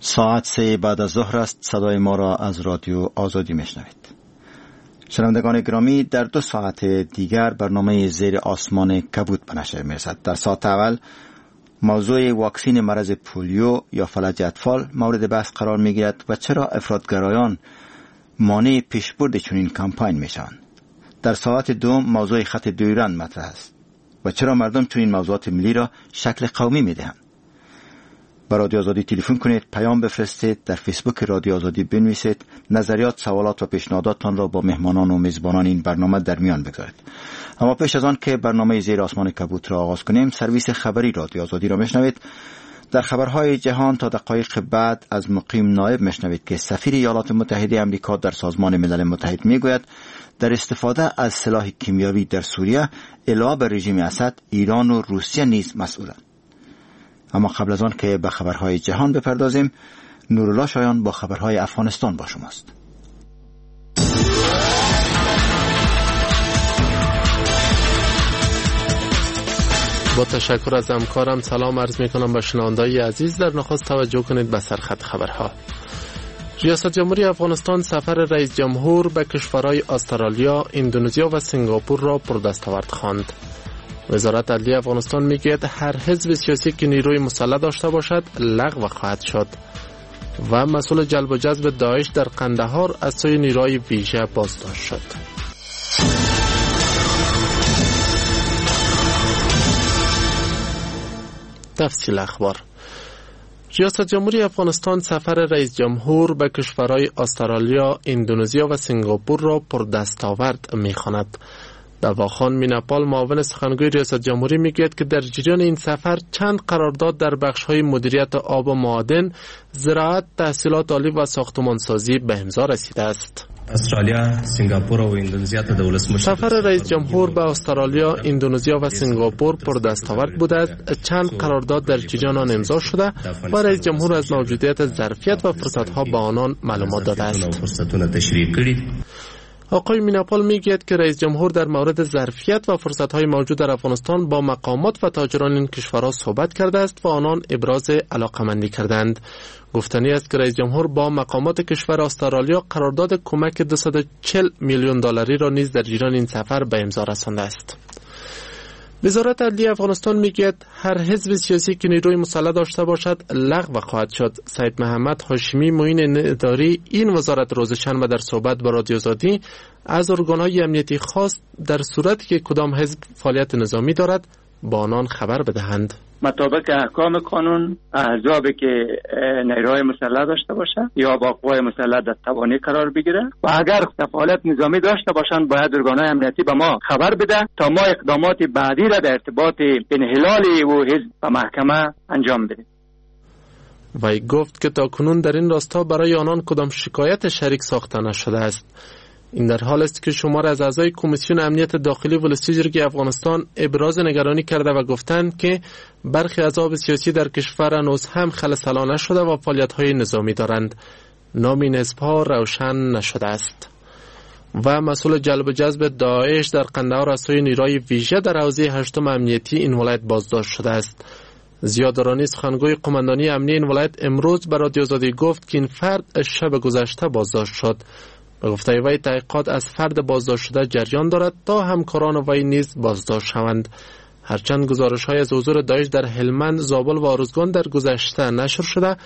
ساعت 3 بعد از ظهر است. صدای ما را از رادیو آزادی میشنوید. شنوندگان گرامی، در 2 ساعت دیگر برنامه زیر آسمان کبود به نشر میرسد. در ساعت اول موضوع واکسین مرض پولیو یا فلج اطفال مورد بحث قرار میگیرد و چرا افراطگرایان مانع پیشبرد چنین کمپاین میشوند. در ساعت دوم موضوع خط دیورند مطرح است و چرا مردم چنین موضوعات ملی را شکل قومی میدهند. به رادیو آزادی تلفن کنید، پیام بفرستید، در فیسبوک رادیو آزادی بنویسید، نظریات، سوالات و پیشنهاداتتان را با مهمانان و میزبانان این برنامه در میان بگذارید. اما پیش از آن که برنامه زیر آسمان کبود را آغاز کنیم، سرویس خبری رادیو آزادی را میشنوید. در خبرهای جهان تا دقایق بعد از مقیم نایب میشنوید که سفیر ایالات متحده آمریکا در سازمان ملل متحد میگوید در استفاده از سلاح کیمیاوی در سوریه علاوه بر رژیم اسد، ایران و روسیه نیز مسئولند. اما قبل از آن که به خبرهای جهان بپردازیم، نورالله شایان با خبرهای افغانستان با شماست. با تشکر از همکارم سلام عرض می کنم به شنونده‌های عزیز. در نخست توجه کنید به سرخط خبرها. ریاست جمهوری افغانستان سفر رئیس جمهور به کشورهای استرالیا، اندونزیا و سنگاپور را پردستاورد خواند. وزارت عدلیه افغانستان میگوید هر حزب سیاسی که نیروی مسلح داشته باشد لغو خواهد شد. و مسئول جلب و جذب داعش در قندهار از سوی نیروهای ویژه بازداشت شد. تفصیل اخبار. ریاست جمهوری افغانستان سفر رئیس جمهور به کشورهای استرالیا، اندونزیا و سنگاپور را پردستاورد می‌خواند. دواخان میناپال، معاون سخنگوی ریاست جمهوری، میگوید که در جریان این سفر چند قرارداد در بخش‌های مدیریت آب و معادن، زراعت، تحصیلات عالی و ساختمانسازی به امضا رسیده است. استرالیا، سنگاپور و اندونزیا ته د ولسمشر سفر رئیس جمهور به استرالیا، اندونزیا و سنگاپور پردستاورد بوده است. چند قرارداد در جریان آن امضا شده و رئیس جمهور از موجودیت ظرفیت و فرصت‌ها به آنان معلومات داده است. آقای میناپال میگوید که رئیس جمهور در مورد ظرفیت و فرصت‌های موجود در افغانستان با مقامات و تاجران این کشورها صحبت کرده است و آنان ابراز علاقمندی کردند. گفتنی است که رئیس جمهور با مقامات کشور استرالیا قرارداد کمک 240 میلیون دلاری را نیز در جریان این سفر به امضا رسانده است. وزارت عدلیه افغانستان میگوید هر حزب سیاسی که نیروی مسلح داشته باشد لغو خواهد شد. سید محمد هاشمی، معین اداری این وزارت، روز شنبه در صحبت با رادیو آزادی از ارگان‌های امنیتی خواست در صورتی که کدام حزب فعالیت نظامی دارد با آنان خبر بدهند. مطابق احکام قانون، احزابی که نیروهای مسلح داشته باشه یا با قوای مسلح در توانی قرار بگیره و اگر فعالیت نظامی داشته باشند باید ارگان‌های امنیتی به ما خبر بده تا ما اقدامات بعدی را در ارتباط انحلال و حزب به محکمه انجام بدیم. وی گفت که تاکنون در این راستا برای آنان کدام شکایت شریک ساخته نشده است. این در حال است که شمار از اعضای کمیسیون امنیت داخلی ولسی جرگه افغانستان ابراز نگرانی کرده و گفتند که برخی احزاب سیاسی در کشور هنوز هم خلع نشده و فعالیت‌های نظامی دارند. نام این حزب‌ها روشن نشده است. و مسئول جلب و جذب داعش در قندهار از سوی نیروهای ویژه در حوزه هشتم امنیتی این ولایت بازداشت شده است. زیاد رانی، سخنگوی قماندانی امنی این ولایت، امروز به رادیو آزادی گفت که این فرد شب گذشته بازداشت شد. به گفته وی تحقیقات از فرد بازداشت شده جریان دارد تا همکاران وی نیز بازداشت شوند. هرچند گزارش‌های از حضور داعش در هلمند، زابل و ارزگان در گذشته نشر شده،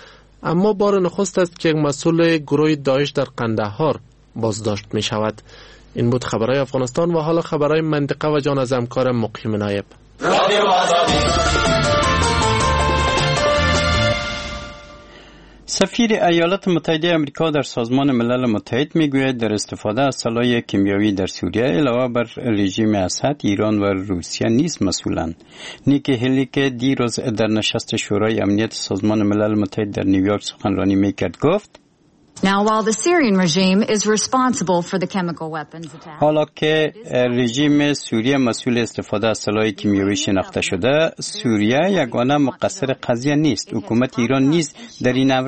اما بار نخست است که یک مسئول گروه داعش در قندهار بازداشت می شود. این بود خبرهای افغانستان و حالا خبرهای منطقه و جان از همکار مقیم نایب. سفیر ایالات متحده آمریکا در سازمان ملل متحد میگوید در استفاده از سلاح کیمیاوی در سوریه علاوه بر رژیم اسد، ایران و روسیه نیز مسئولند. نیکی هلی که دیروز در نشست شورای امنیت سازمان ملل متحد در نیویورک سخنرانی میکرد گفت: Now, while the Syrian regime is responsible for the chemical weapons attack, حالا که رژیم سوریه مسئول استفاده از سلاح کیمیاوی شناخته شده، سوریه یگانه مقصر قضیه نیست. حکومت ایران نیز در این امر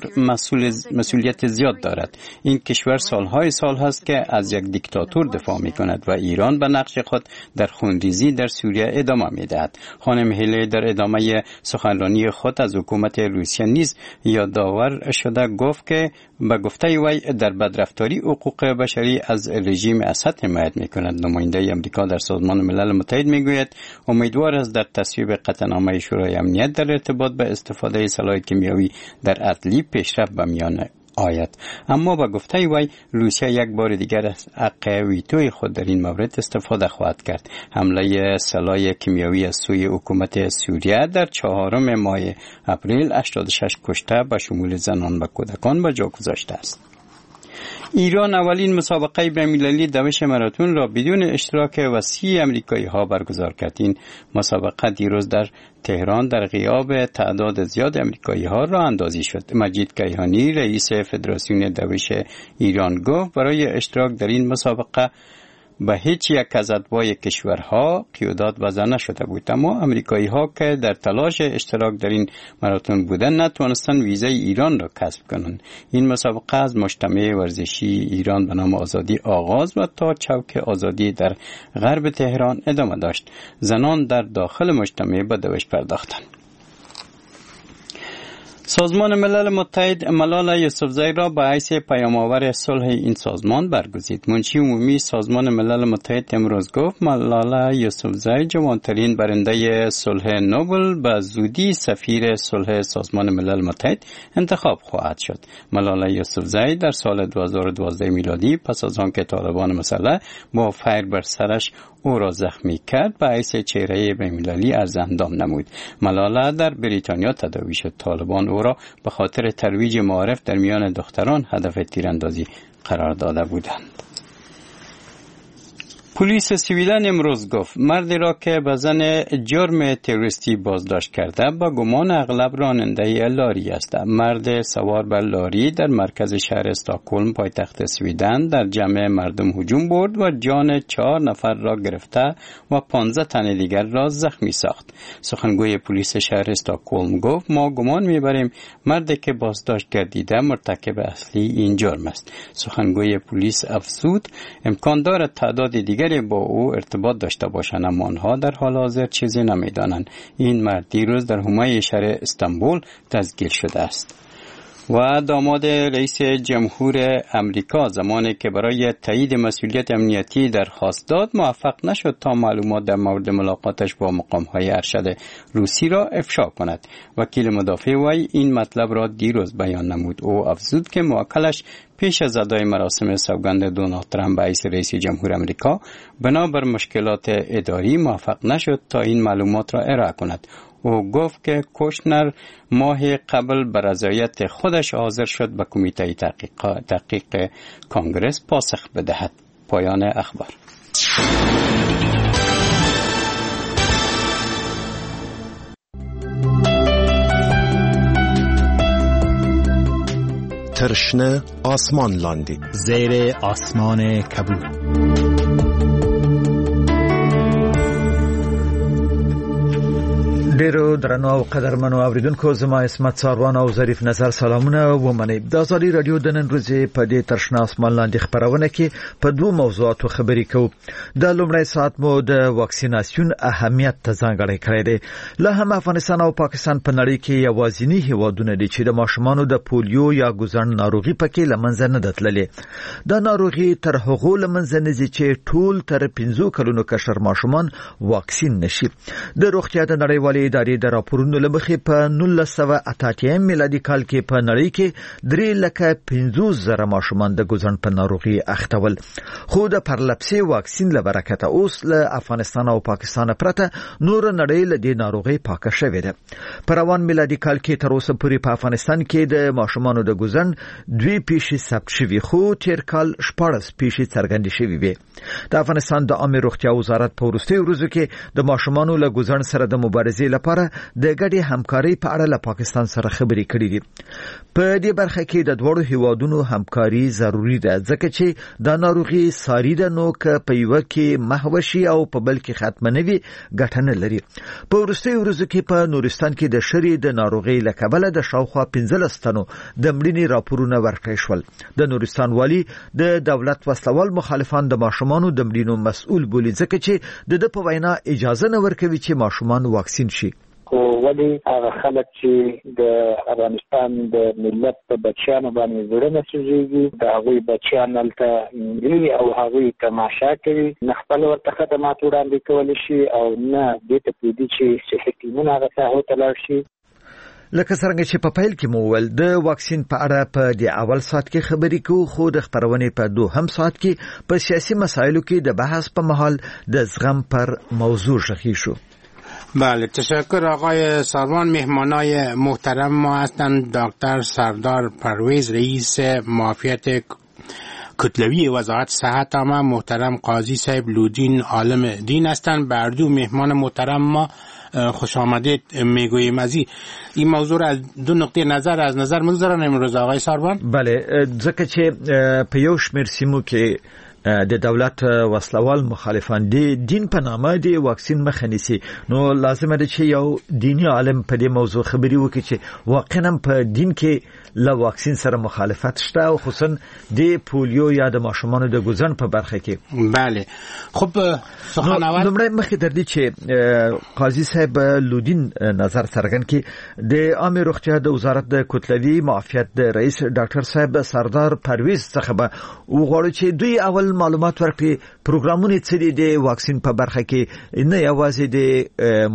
مسئولیت زیاد دارد. این کشور سالهای سال هست که از یک دیکتاتور دفاع می کند و ایران به نقش خود در خونریزی در سوریه ادامه می دهد. خانم هیلی در ادامه سخنرانی خود از حکومت روسیه نیز یادآور شده گفت که به گفته وی در بدرفتاری حقوق بشری از رژیم اسد حمایت میکند. نماینده امریکا در سازمان ملل متحد میگوید امیدوار است در تصویب قطعنامه شورای امنیت در ارتباط به استفاده سلاح کیمیاوی در ادلب پیشرفت به میان آید. اما به گفته وی روسیه یک بار دیگر از حق ویتوی خود در این مورد استفاده خواهد کرد. حمله سلاح کیمیاوی از سوی حکومت سوریه در 4 ماه اپریل 86 کشته به شمول زنان و کودکان به جا گذاشته است. ایران اولین مسابقه بین‌المللی دوش ماراتون را بدون اشتراک وسیع امریکایی ها برگزار کرد. این مسابقه دیروز در تهران در غیاب تعداد زیاد امریکایی ها راه اندازی شد. مجید کیهانی رئیس فدراسیون دوش ایران گفت برای اشتراک در این مسابقه به هیچ یک از اتباع کشورها قیودات وضع نشده بود، اما امریکایی ها که در تلاش اشتراک در این ماراتون بودند نتوانستند ویزای ایران را کسب کنند. این مسابقه از مجتمع ورزشی ایران به نام آزادی آغاز و تا چوک آزادی در غرب تهران ادامه داشت. زنان در داخل مجتمع به دوش پرداختند. سازمان ملل متحد ملاله یوسفزئی را به حیث پیام‌آور صلح این سازمان برگزید. منشی عمومی سازمان ملل متحد امروز گفت ملاله یوسفزئی جوانترین برنده صلح نوبل به زودی سفیر صلح سازمان ملل متحد انتخاب خواهد شد. ملاله یوسفزئی در سال 2012 میلادی پس از آنکه طالبان مسلح با فیر بر سرش او را زخمی کرد به حیث چهره بین‌المللی از اندام نمود. ملاله در بریتانیا تداوی شد. طالبان او را به خاطر ترویج معارف در میان دختران هدف تیراندازی قرار داده بودند. پلیس سویدن امروز گفت مردی را که به زن جرم تروریستی بازداشت کرده با گمان اغلب راننده لاری است. مرد سوار بر لاری در مرکز شهر استکهلم پایتخت سویدن در جمع مردم هجوم برد و جان 4 نفر را گرفته و 15 تن دیگر را زخمی ساخت. سخنگوی پلیس شهر استکهلم گفت ما گمان میبریم مردی که بازداشت گردیده مرتکب اصلی این جرم است. سخنگوی پلیس افزود امکان دارد تعداد دیگر با او ارتباط داشته باشند، اما آنها در حال حاضر چیزی نمیدانند. این مرد دیروز در حومه شهر استانبول دستگیر شده است. و داماد رئیس جمهور امریکا زمانی که برای تایید مسئولیت امنیتی درخواست داد موفق نشد تا معلومات در مورد ملاقاتش با مقام‌های ارشد روسی را افشا کند. وکیل مدافع وی این مطلب را دیروز بیان نمود. او افزود که موکلش پیش از ادای مراسم سوگند دونالد ترامپ به حیث رئیس جمهور امریکا بنابر مشکلات اداری موفق نشد تا این معلومات را ارائه کند. او گفت که کوشنر ماه قبل به رضایت خودش حاضر شد به کمیته تحقیق کانگرس پاسخ بدهد. پایان اخبار. تر شنه آسمان لاندې، زیر آسمان کبود. ډیرو درنو او قدرمنو اوریدونکو، زما عصمت څاروان او ظریف نظر سلامونه ومنئ. د ازادي رادیو د نن ورځې په دې تر شنه اسمان لاندې خپرونه کې په دوو موضوعاتو خبرې کوو. د لومړی ساعت مو د واکسیناسیون اهمیت ته ځانګړی کړی دی. لا هم افغانستان او پاکستان په نړۍ کې یوازیني هیوادونه دي چې د ماشومانو د پولیو یا ګوزڼ ناروغي پکې له منځه نه ده تللې. دا ناروغي تر هغو له منځه نه ځي چې ټول تر 5 کلونو کشر ماشومان واکسین نشي. د روغتیا د نړیوالې ادارې د راپورونو له مخې په 1988 میلادي کال کې په نړۍ کې 350,000 ماشومان د ګوزڼ په ناروغي اخته ول، خو د پرلپسې واکسین له برکته اوس له افغانستان او پاکستان پرته نور نړۍ له دې ناروغۍ پاکه شوې ده. په روان میلادي کال کې تر اوسه پورې په افغانستان کې د ماشومانو د ګوزڼ 2 پیښې ثبت شوې، خو تیر کال 14 پیښې څرګندې شوې وې. د افغانستان د عامې روغتیا وزارت په وروستیو ورځو کې د ماشومانو له ګوزڼ سره د مبارزې لپاره د ګډې همکارۍ په اړه له پاکستان سره خبرې کړې دي. په دې برخه کې د دواړو هیوادونو همکاري ضروري ده، ځکه چې دا ناروغي ساري ده، نو که په یوه کې محوه شي او په بل کې ختمه نه وي ګټه نه لري. په وروستیو ورځو کې په نورستان کې د شري د ناروغۍ له کبله د شاوخوا 15 تنو د مړینې راپورونه ورکړل شول. د نورستان والي د دولت وسلوال مخالفان د ماشومانو د مړینو مسؤل بولي، ځکه چې د ده په وینا اجازه نه ورکوي چې ماشومان واکسین شي. خو ولې هغه خلک چې د افغانستان د ملت په بچیانو باندې زړه نه سوځېږي، د هغوی بچیان هلته مري او هغوی تماشا کوي، نه خپل ورته خدمات وړاندې کولی شي او نه دې ته پرېږدي چې صحي ټیمونه هغه ساحو ته لاړ شي. لکه څرنګه چې په پیل کې مو وویل، د واکسین په اړه په دې اول ساعت کې خبرې کوو، خو د خپرونې په دوهم ساعت کې په سیاسي مسایلو کې د بحث په مهال د زغم پر موضوع غږیږو. بله، تشکر آقای ساروان. مهمانای محترم ما هستند دکتر سردار پرویز، رئیس معافیت کتلوی وزارت صحت عامه، محترم قاضی صاحب لودین عالم دین هستند. بر دو مهمان محترم ما خوش آمدید میگوییم. از این موضوع را از دو نقطه نظر از نظر میگذارن امروز آقای ساروان. بله، ځکه چې په یو شمېر سیمو کې د دولت وسلوال مخالفان د دین په نامه د واکسین مخه نیسي، نو لازمه ده چې یو دیني عالم په دې موضوع خبرې وکړي چې واقعا په دین کې له واکسین سره مخالفت شته، او خصوصا د پولیو یا د ماشومانو د ګوزڼ په برخه کې. بله، خب سخن اول لومړی مخکې تر دې چې قاضي صاحب لودین نظر څرګند کړي، د عامې روغتیا د وزارت د کتلوي معافیت د رئیس ډاکټر صاحب سردار پرویز څخه به وغواړو چې دوی اول معلومات ورکړي، پروګرامونه څه دي د واکسین په برخه کې، نه یوازې د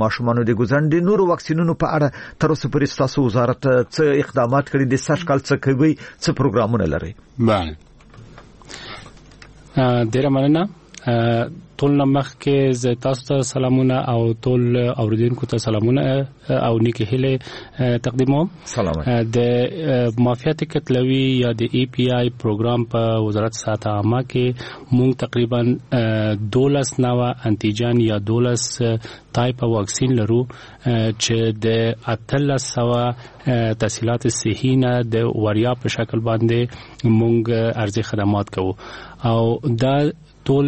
ماشومانو د ګوزڼ، د نورو واکسینونو په اړه تر اوسه پورې ستاسو وزارت څه اقدامات کړي دي، سږ کال څه کوي، څه پروګرامونه لري؟ بله، ډیره مننه. ټول نه مخکې زه تاسو ته سلامونه او ټول اوریدونکو ته سلامونه او نیکې هیلې تقدیموم. سلام. د معافیت کتلوي یا د ای پی آی پروګرام په وزارت صحت عامه کې مونږ تقریبا 12 نوع انتیجن یا 12 تایپ واکسین لرو چې د 1800 تسهیلات صحي نه د وریا په شکل باندې مونږ ارزي خدمات کوو. او دا ټول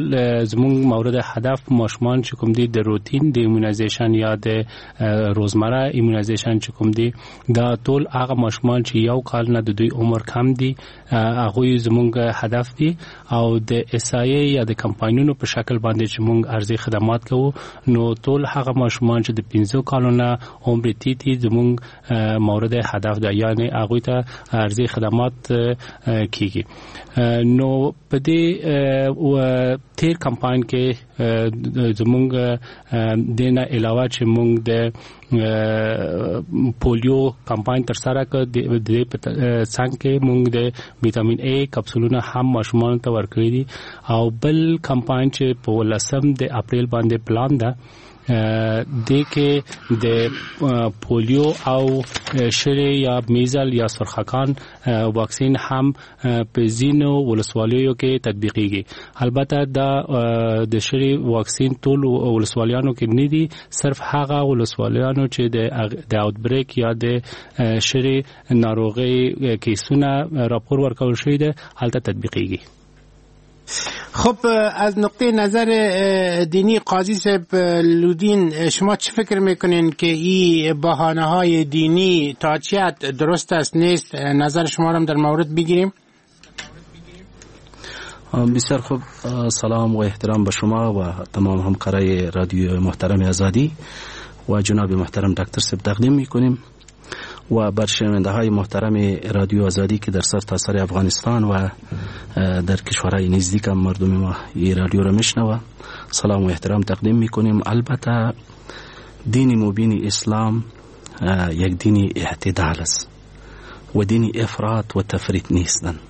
زموږ مورد هدف ماشومان چې کوم دي د روتین د immunization یا د روزمره immunization چې کوم دي، دا ټول هغه ماشومان چې یو کال نه د دوی عمر کم دي هغوی زموږ هدف دي. او د اس آی یا د کمپاینونو په شکل باندې چې موږ ارزي خدمات کوو، نو ټول هغه ماشومان چې د 5 کالو نه عمر تیت دي زموږ مورد هدف ده، یعنی هغوی ته ارزي خدمات کیږي. نو په دې تیر کمپاین کې زمونږ دینه علاوه چې مونږ د پولیو کمپاین تر سره کړ، د دې په څنګ کې مونږ د ویټامین ای کپسولونه هم ماشومانو ته ورکړي دي. او بل کمپاین چې په 10 د اپریل باندې پلان ده، د کې د پولیو او شری یا میزل یا سرخکان واکسین هم په ځینو ولسوالیو کې تطبیقیږي. البته دا د شری واکسین ټول ولسوالیانو کې نه دي، صرف هغه ولسوالیانو چې د اوت بریک یا د شری ناروغۍ کیسونه راپور ورکول شوی دی هلته تطبیقیږي. خب از نقطه نظر دینی قاضی صاحب لودین، شما چه فکر میکنین که این بهانه های دینی تا چه حد درست است نیست؟ نظر شما را در مورد بگیریم. بسیار خوب، سلام و احترام به شما و تمام همکارای رادیو محترم آزادی و جناب محترم دکتر صاحب تقدیم میکنیم و بر شنونده های محترم رادیو آزادی که در سرتاسر افغانستان و در کشورهای نزدیک هم مردم ما این رادیو را میشنوه سلام و احترام تقدیم میکنیم. البته دین مبین اسلام یک دین اعتدال است و دین افراط و تفریط نیستند.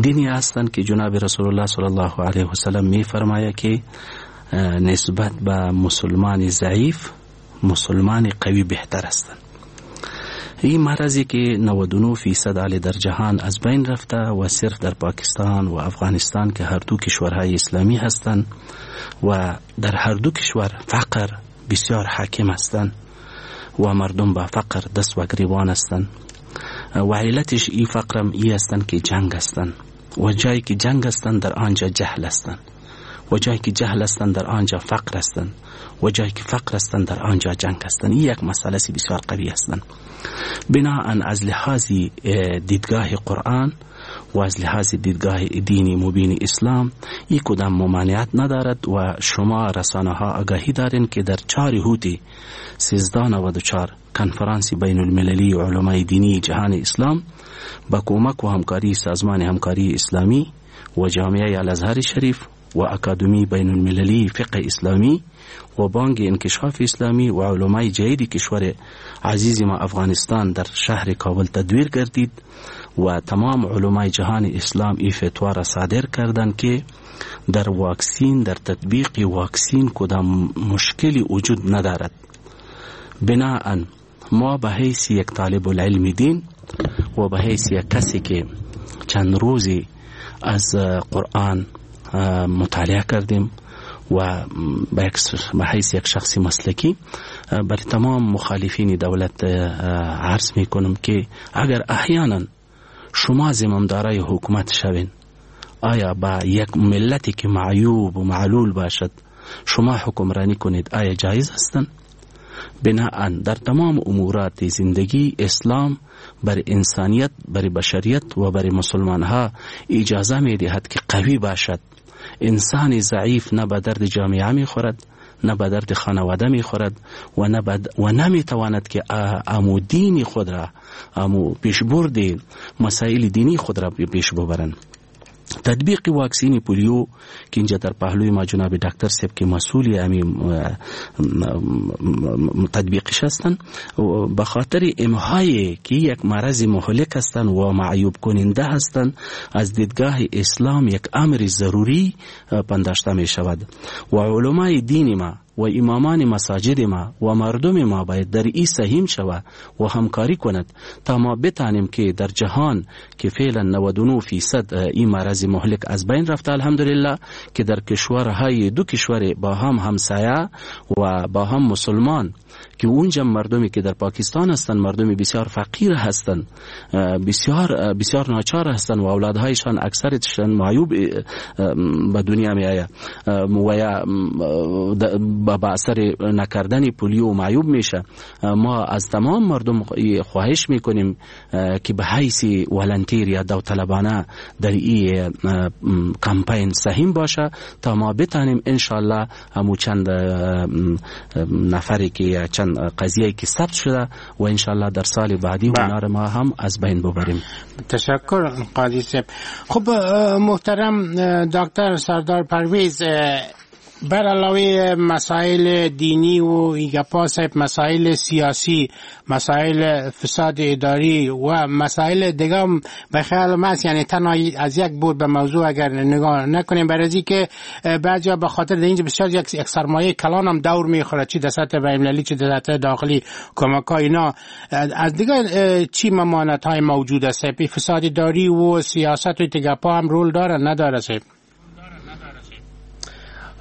دینی هستند که جناب رسول الله صلی الله علیه وسلم میفرماید که نسبت به مسلمان ضعیف مسلمان قوی بهتر هستند. این مرضی که 99% علی در جهان از بین رفته و صرف در پاکستان و افغانستان که هر دو کشورهای اسلامی هستند و در هر دو کشور فقر بسیار حاکم هستند و مردم با فقر دست و گریبان هستند و علتش ای فقرم ای هستند که جنگ هستند و جایی که جنگ هستند در آنجا جهل هستند و جایی که جهل هستند در آنجا فقر هستند و جایی که فقر هستند در آنجا جنگ هستند. این یک مسئله بسیار قوی هستند. بناءً از لحاظ دیدگاه قرآن و از لحاظ دیدگاه دین مبین اسلام این کدام ممانعت ندارد و شما رسانه ها آگاهی دارین که در 4 اوت 1394 کنفرانس بین المللی علمای دینی جهان اسلام با کمک و همکاری سازمان همکاری اسلامی و جامعه الازهر شریف و اکادمی بین المللی فقه اسلامی و بانک انکشاف اسلامی و علمای جدید کشور عزیز ما افغانستان در شهر کابل تدویر گردید و تمام علمای جهان اسلام ای فتوا را صادر کردند که در واکسین، در تطبیق واکسین کدام مشکلی وجود ندارد. بناءً ما به حیث یک طالب العلم دین و به حیث یک کسی که چند روزی از قرآن مطالعه کردیم و به حیث یک شخص مسلکی بر تمام مخالفین دولت عرض میکنم که اگر احیانا شما زمامدارای حکومت شوین، آیا با یک ملتی که معیوب و معلول باشد شما حکمرانی کنید آیا جایز هستند؟ بناءً در تمام امورات زندگی اسلام بر انسانیت، بر بشریت و بر مسلمان ها اجازه می دهد که قوی باشد. انسان ضعیف نه به درد جامعه می خورد، نه به درد خانواده می خورد و نمی تواند که امو دین خود را، امو پیشبرد مسائل دینی خود را پیش ببرند. تطبیق واکسین پولیو که اینجا در پهلوی ما جناب دکتر صاحب که مسئول امی تطبیقش هستند، به خاطر امهای که یک مرض مهلک هستند و معیوب کننده هستند، از دیدگاه اسلام یک امر ضروری پنداشته می شود و علمای دین ما و امامان مساجد ما و مردم ما باید در ای سهیم شود و همکاری کند تا ما بتانیم که در جهان که فعلا 99% این مرض مهلک از بین رفته الحمدلله، که در کشورهای دو کشور با هم همسایه و با هم مسلمان که اونجا مردمی که در پاکستان هستند مردمی بسیار فقیر هستند، بسیار بسیار ناچار هستند و اولادهایشان اکثرشان معیوب به دنیا می آید و یا با اثر نکردن پولیو معیوب میشه. ما از تمام مردم خواهش میکنیم که به حیث volunteer یا داوطلبانه در این کمپین سهیم باشه تا ما بتانیم انشالله همو چند نفری که چند قضیه که ثبت شده و انشالله در سال بعدی اونا ما هم از بین ببریم. تشکر قاضی صاحب. خب محترم دکتر سردار پرویز، بر علاوه مسائل دینی و ایگپا صاحب، مسائل سیاسی، مسائل فساد اداری و مسائل دیگه به خیال من، یعنی تنها از یک بود به موضوع اگر نگاه نکنیم، برای که بعضیا به خاطر اینجا بسیار یک سرمایه کلان هم دور میخوره، چی در سطح بین‌المللی چی در سطح داخلی، کمک ها اینا، از دیگه چی ممانعت های موجود است؟ فساد اداری و سیاست و دیگه هم رول داره نداره صاحب؟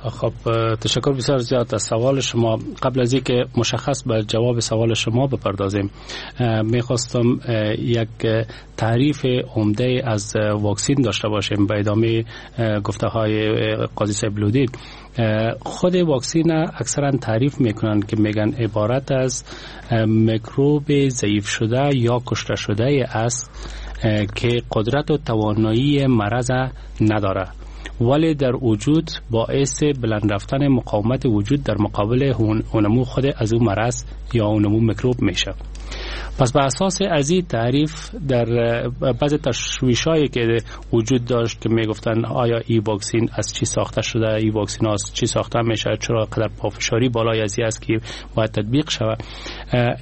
خب تشکر بسیار زیاد از سوال شما. قبل از اینکه مشخص به جواب سوال شما بپردازیم، میخواستم یک تعریف عمده از واکسین داشته باشیم. به ادامه گفته های قاضی صاحب لودین، خود واکسین اکثرا تعریف میکنن که میگن عبارت از میکروب ضعیف شده یا کشته شده است که قدرت و توانایی مرض نداره، ولی در وجود باعث بلند رفتن مقاومت وجود در مقابل اونمو خود از اون مرض یا اونمو میکروب میشه. پس به اساس از این تعریف در بعض تشویشایی که وجود داشت که میگفتن آیا ای واکسین از چی ساخته شده، ای واکسین از چی ساخته میشه، چرا قدر پافشاری بالای از است که باید تطبیق شود،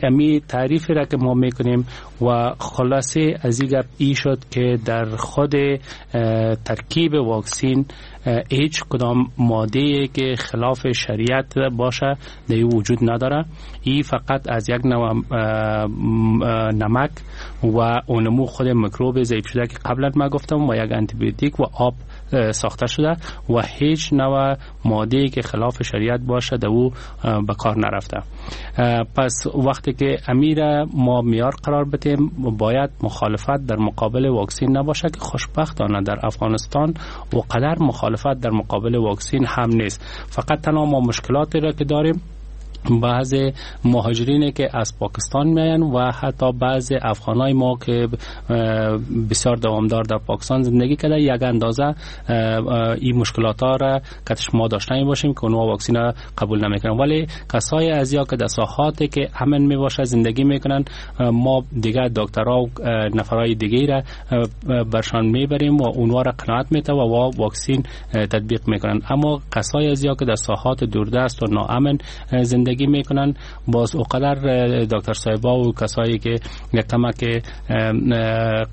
امی تعریف را که ما میکنیم و خلاصه از این گپ ای شد که در خود ترکیب واکسین هیچ کدام ماده که خلاف شریعت باشه در وجود نداره. ای فقط از یک نوع نمک و اونمو خود میکروب ضعیف شده که قبلا ما گفتم و یک انتیبیوتیک و آب ساخته شده و هیچ نوع ماده که خلاف شریعت باشه در او به کار نرفته. پس وقتی که امیر ما معیار قرار بدیم باید مخالفت در مقابل واکسین نباشه که خوشبختانه در افغانستان و قدر مخالفت در مقابل واکسین هم نیست. فقط تنها ما مشکلاتی را که داریم بعض مهاجرین که از پاکستان میاین و حتی بعض افغانای ما که بسیار دوامدار در پاکستان زندگی کرده یک اندازه این مشکلات ها را که ما داشته باشیم که اونها واکسین قبول نمیکنن، ولی کسای از یا که در ساحاتی که امن میباشه زندگی میکنن ما دیگه دکترها و نفرای دیگه را برشان میبریم و اونها را قناعت میته و واکسین تطبیق میکنن. اما کسای از یا که در ساحات دوردست و ناامن زندگی میکنن باز اوقدر دکتر صاحبا و کسایی که یک کمک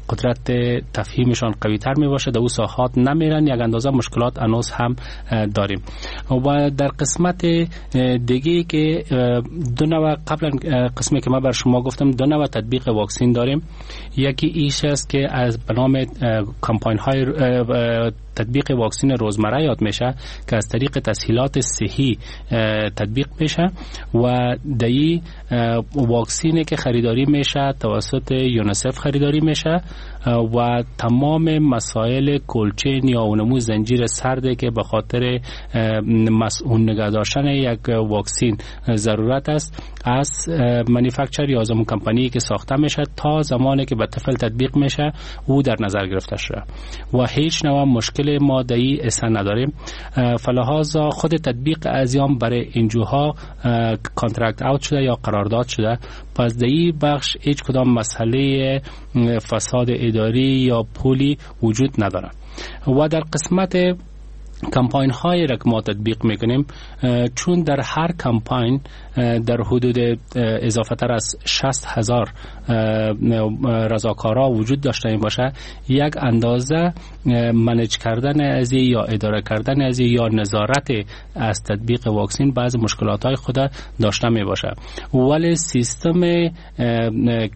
قدرت تفهیمشان قوی تر می باشه در او ساحات نمیرن، یک اندازه مشکلات انوز هم داریم. و در قسمت دیگه که دو نوع قبلا قسمی که من بر شما گفتم دو نوع تطبیق واکسین داریم. یکی ایش است که از به نام کمپاین های تطبیق واکسین روزمره یاد میشه که از طریق تسهیلات صحی تطبیق میشه و دایی واکسینی که خریداری میشه توسط یونیسف خریداری میشه و تمام مسائل کولچین یا اونمو زنجیر سرده که به خاطر مسئول نگه داشتن یک واکسین ضرورت است از manufacturer یا از اون کمپانی که ساخته میشه تا زمانی که به طفل تطبیق میشه او در نظر گرفته شده و هیچ نوع مشکل ما دایی اصلا نداریم. فلهذا خود تطبیق ازیام برای اینجوها contract out شده یا قرارداد شده، پس در بخش هیچ کدام مسئله فساد اداری یا پولی وجود نداره. و در قسمت کمپاین های را که ما تطبیق میکنیم چون در هر کمپاین در حدود اضافه تر از 60,000 رضاکارا وجود داشته باشه، یک اندازه manage کردن از یا اداره کردن از یا نظارت از تطبیق واکسین بعض مشکلات های خود داشته می باشه، ولی سیستم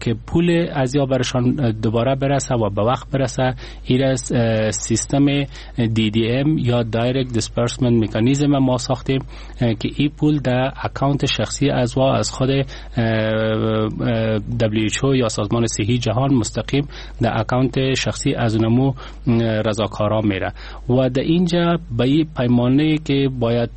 که پول از یا برشان دوباره برسه و به وقت برسه این سیستم DDM یا Direct Disbursement Mechanism ما ساختیم که این پول در account شخصی از و از خود WHO یا سازمان صحی جهان مستقیم در account شخصی از نمو رضاکارا میره و در اینجا به این پیمانه که باید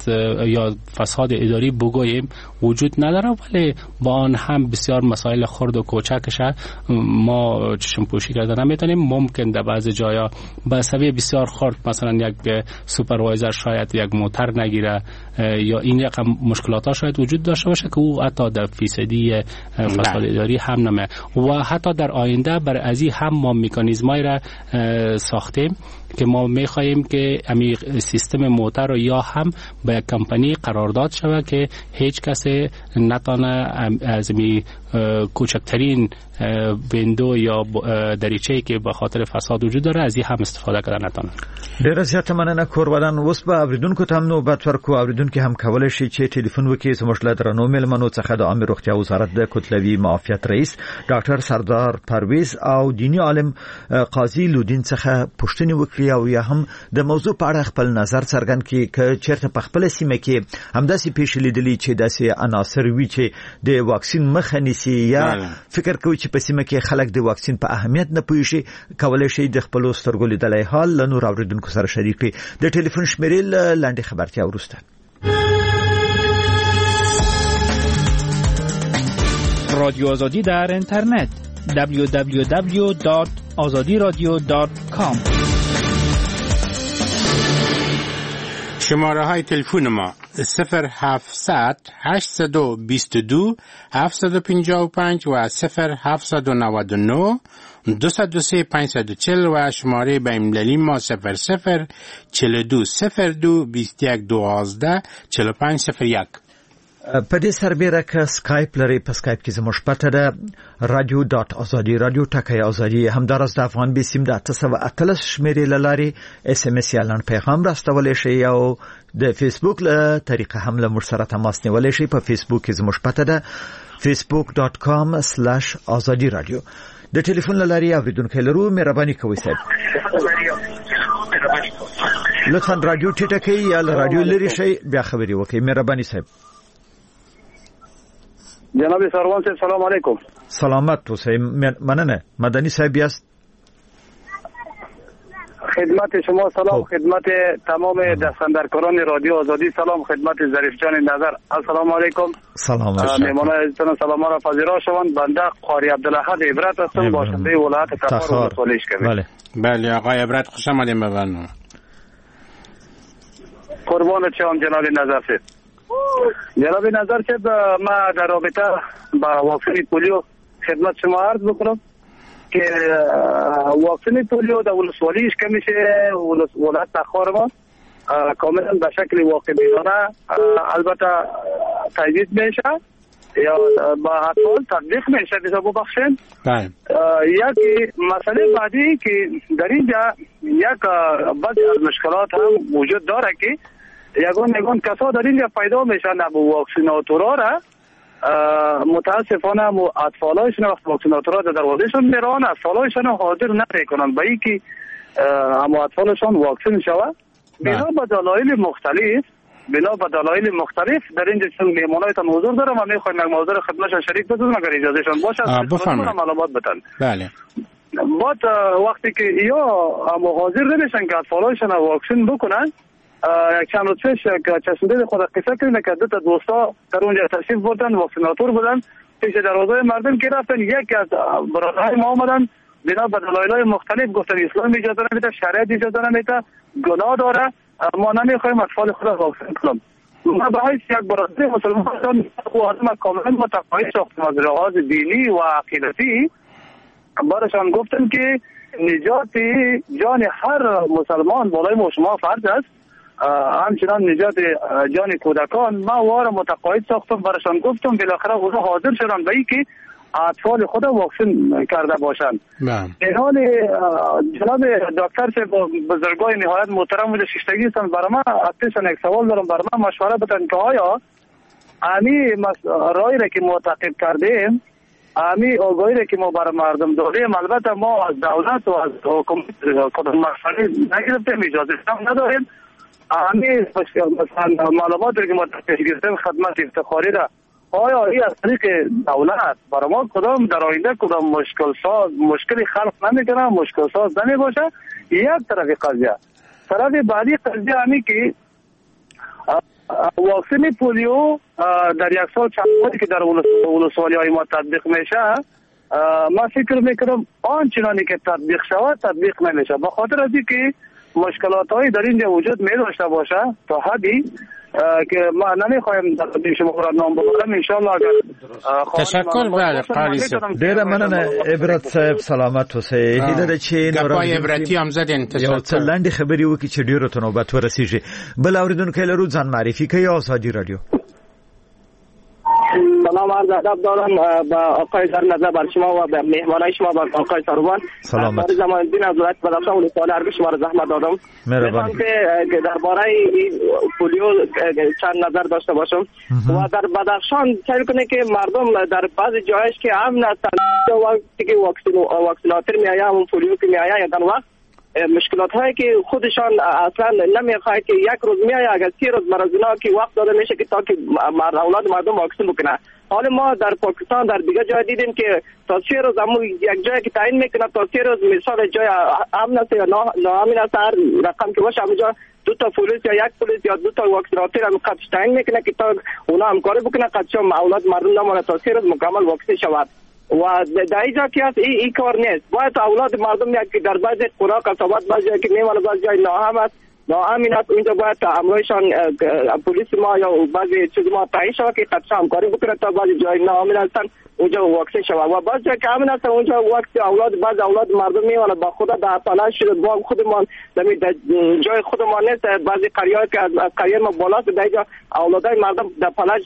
یا فساد اداری بگوییم وجود نداره، ولی با آن هم بسیار مسائل خرد و کوچکش ما چشم پوشی کرده نمیتونیم. ممکن در بعض جایا به سبب بسیار خرد مثلا یک supervisor شاید یک موتر نگیره یا این رقم مشکلات ها شاید وجود داشته باشه که او حتی در فیصدی فساد اداری هم نمه و حتی در آینده بر ازی هم ما مکانیزمای را ساختیم که ما میخواهیم که امی سیستم موتر رو یا هم به یک کمپانی قرارداد شود که هیچ کس نتانه از می کوچکترین window یا دریچه‌ای که به خاطر فساد وجود داره از این هم استفاده کردن نتانه. ډیره زیاته مننه کورودان. اوس به اوریدونکو ته هم نوبت ورکو. اوریدونکي هم کولی شي چې ټلیفون وکړي زموږ له درنو میلمنو څخه د عامې روغتیا وزارت د کتلوي معافیت رئیس ډاکټر سردار پرویز او دیني عالم قاضي لودین څخه پوښتنې وکړي او یا هم د موضوع په اړه خپل نظر څرګند کړي که چیرته په خپله سیمه کې همداسې پیښې لیدلي چې داسې عناصر وي چې د واکسین مخه نیسي یا فکر کوي چې په سیمه کې خلک د واکسین په اهمیت نه پوهیږي، کولی شي د خپلو سترګو لیدلی حال له نورو اورېدونکو سره شریک کړي. د ټلیفون شمېرې له لنډې خبرتیا وروسته. رادیو آزادی در اینترنت www.azadiradio.com. شماره های تلفن ما 0700 822 755 و 0799 203 540 و شماره بین‌المللی ما 00 42 02 21 12 45 01. په دې سربېره که سکایپ لرئ، په سکایپ کې زموږ پته ده radio.azadi رادیو ټکی ازادي. همداراز د افغان بیسیم د 818 شمېرې له لارې اس ام اس یا لنډ پیغام راستولی شئ او د فیسبوک له طریقه هم له موږ سره تماس نیولی شئ. په فیسبوک کې زموږ پته ده facebook.com/azadi radio. د ټلیفون له لارې اورېدونکی لرو، مهرباني کوئ صاحب. لطفا رادیو ټیټه کړئ یا له رادیو لرې شئ، بیا خبرې وکړئ. مهرباني صاحب. جناب سروان صاحب سلام علیکم. سلامت اوسئ، مننه. مدني صاحب یاست؟ خدمت شما سلام، خدمت تمام دستاندرکاران رادیو آزادی سلام، خدمت ظریف جان نظر السلام علیکم. سلام میهمانان عزیزتان سلام را پذیرا شوند. بنده قاری عبدالاحد عبرت هستم، باشنده ولایت تخار ولسوالی اشکمه. بله بله آقای عبرت خوش آمدین به برنامه. قربان شما جناب نظر صاحب. جناب نظر صاحب، ما در رابطه با واکسن پولیو خدمت شما عرض بکنم که واکسن پولیو در ولسوالی اشکمش ولایت تخار ما کاملا به شکل واقع بینانه البته تجدید میشه یا با اطفال تطبیق میشه. ببخشید یک مسئله بعدی که در اینجا یک بعضی از مشکلات هم وجود داره که یگان کسا در اینجا پیدا میشن ابو واکسیناتورا را متاسفانه اطفالایشون وقت واکسیناتورا در دروازهشون میران اطفالایشون حاضر نمیکنن به اینکه هم اطفالشون واکسن شود، بنا به دلایل مختلف در اینجا چون مهمانایتان حضور دارم و میخوایم یک موضوع خدمتشان شریک بسازم اگر اجازهشان باشه بفرمایید معلومات بدن. بله بعد وقتی که یا هم حاضر نمیشن که اطفالایشون واکسن بکنن، یک چند روز پیش که چشم خود قصه کردیم که دو تا دوستا در اونجا تشریف بردن واکسیناتور بودن، پیش دروازه مردم که رفتن یکی از برادرهای ما آمدن بنا به دلایل مختلف گفتن اسلام اجازه نمیده، شریعت اجازه نمیده، گناه داره، ما نمیخوایم اطفال خود را واکسن کنیم. ما به حیث یک برادر مسلمان آدم کاملا متقاعد ساختم از لحاظ دینی و عقیدتی، براشان گفتم که نجات جان هر مسلمان بالای ما شما فرض است، همچنان نجات جان کودکان. ما وار متقاعد ساختم، براشان گفتم، بالاخره اونا حاضر شدن به اینکه اطفال خود واکسن کرده باشند. در حال جناب دکتر صاحب بزرگای نهایت محترم و شیشتگی هستند، برای ما از یک سوال دارم، برای ما مشوره بدن که آیا امی رای را که ما تعقیب کردیم، امی آگاهی را که ما برای مردم دادیم، البته ما از دولت و از حکومت کدام مشوره نگرفتیم، اجازه هم نداریم، امی مثلا معلومات را که ما پیش گرفتیم خدمت افتخاری را آیا این از طریق دولت برای ما کدام در آینده کدام مشکلی خلق نمیکنه، مشکل ساز نمی باشه؟ یک طرف قضیه. طرف بعدی قضیه همی که واکسن پولیو در یک سال چند باری که در ولسوالی های ما تطبیق میشه، ما فکر میکنم آنچنانی که تطبیق شود تطبیق نمیشه، به خاطر از اینکه مشکلات های در اینجا وجود می داشته باشه تا حدی که ما نمیخوایم در شما را نام ببرم. ان شاء الله اگر تشکر. بله قاری صاحب ډیره مننه عبرت صاحب، سلامت اوسئ. هیله ده چې نور عبرتي هم زدین. تشکر. یو څه لنډې خبرې وکړي چې ډیرو ته نوبت ورسیږي. بل اوریدونکی لرو، ځان معرفي کوي. ازادي رادیو. سلام عرض ادب دارم با آقای در نظر بر شما و به مهمانای شما و آقای سروان. سلامت. زمان دین از ولایت بدخشان ولسوالی ارگ شما را زحمت دادم. مهربانی. که درباره پولیو چند نظر داشته باشم. و در بدخشان سعی کنه که مردم در بعضی جایش که امن هستند وقتی که واکسیناتور میآید همون پولیو که میآید در وقت مشکلات هایی که خودشان اصلا نمیخواد که یک روز میآید اگر 3 روز مرزینا که وقت داده میشه که تا که اولاد مردم واکسن بکنه. حالا ما در پاکستان در دیگه جای دیدیم که تا 3 روز همون یک جایی که تعیین میکنه تا 3 روز مثال جای امن است یا ناامن است، هر رقم که باشه همونجا 2 تا پلیس یا 1 پلیس یا 2 تا واکسیناتور هم قدش تعیین میکنه که تا اونا همکاری بکنه قدش اولاد مردم نمونه تا 3 روز مکمل واکسن شود. و در اینجا که هست این کار نیست. باید اولاد مردم یک در بعضی قرا قصابات بعضی که میمانه بعضی جای ناامن است ناامن است، اونجا باید امرایشان پلیس ما یا بعضی چیز ما تعیین شود که قدش همکاری بکنه تا بعضی جای ناامن هستن اونجا واکسن شود. و بعضی جای که امن هستن اونجا وقت اولاد بعض اولاد مردم میمانه با خدا در پلاش شده با خودمان در جای خودمان نیست. بعضی قریه که از قریه ما بالاست در اینجا اولادای مردم در پلاش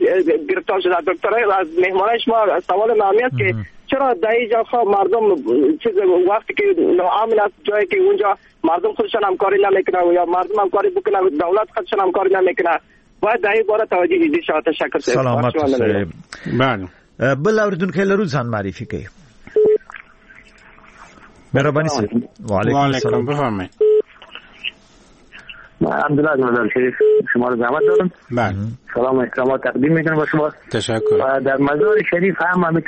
گرفتار شده. دکترای از مهمانای شما سوال ما است که چرا در اینجا خب مردم چیز وقتی که ناامن است جایی که اونجا مردم خودشان همکاری نمیکنه و یا مردم همکاری بکنه دولت خودشان همکاری نمیکنه، باید در این باره توجه جدی شود. تشکر. سلامت. بله بل اوریدونکی لرو، ځان معرفي کوي. مهرباني صاحب. وعلیکم السلام. بفرمایئ. عبدالله از مزار شریف شما رو زحمت دارم. بله. سلام و احترامات تقدیم میکنم با شما. تشکر. و در مزار شریف هم همین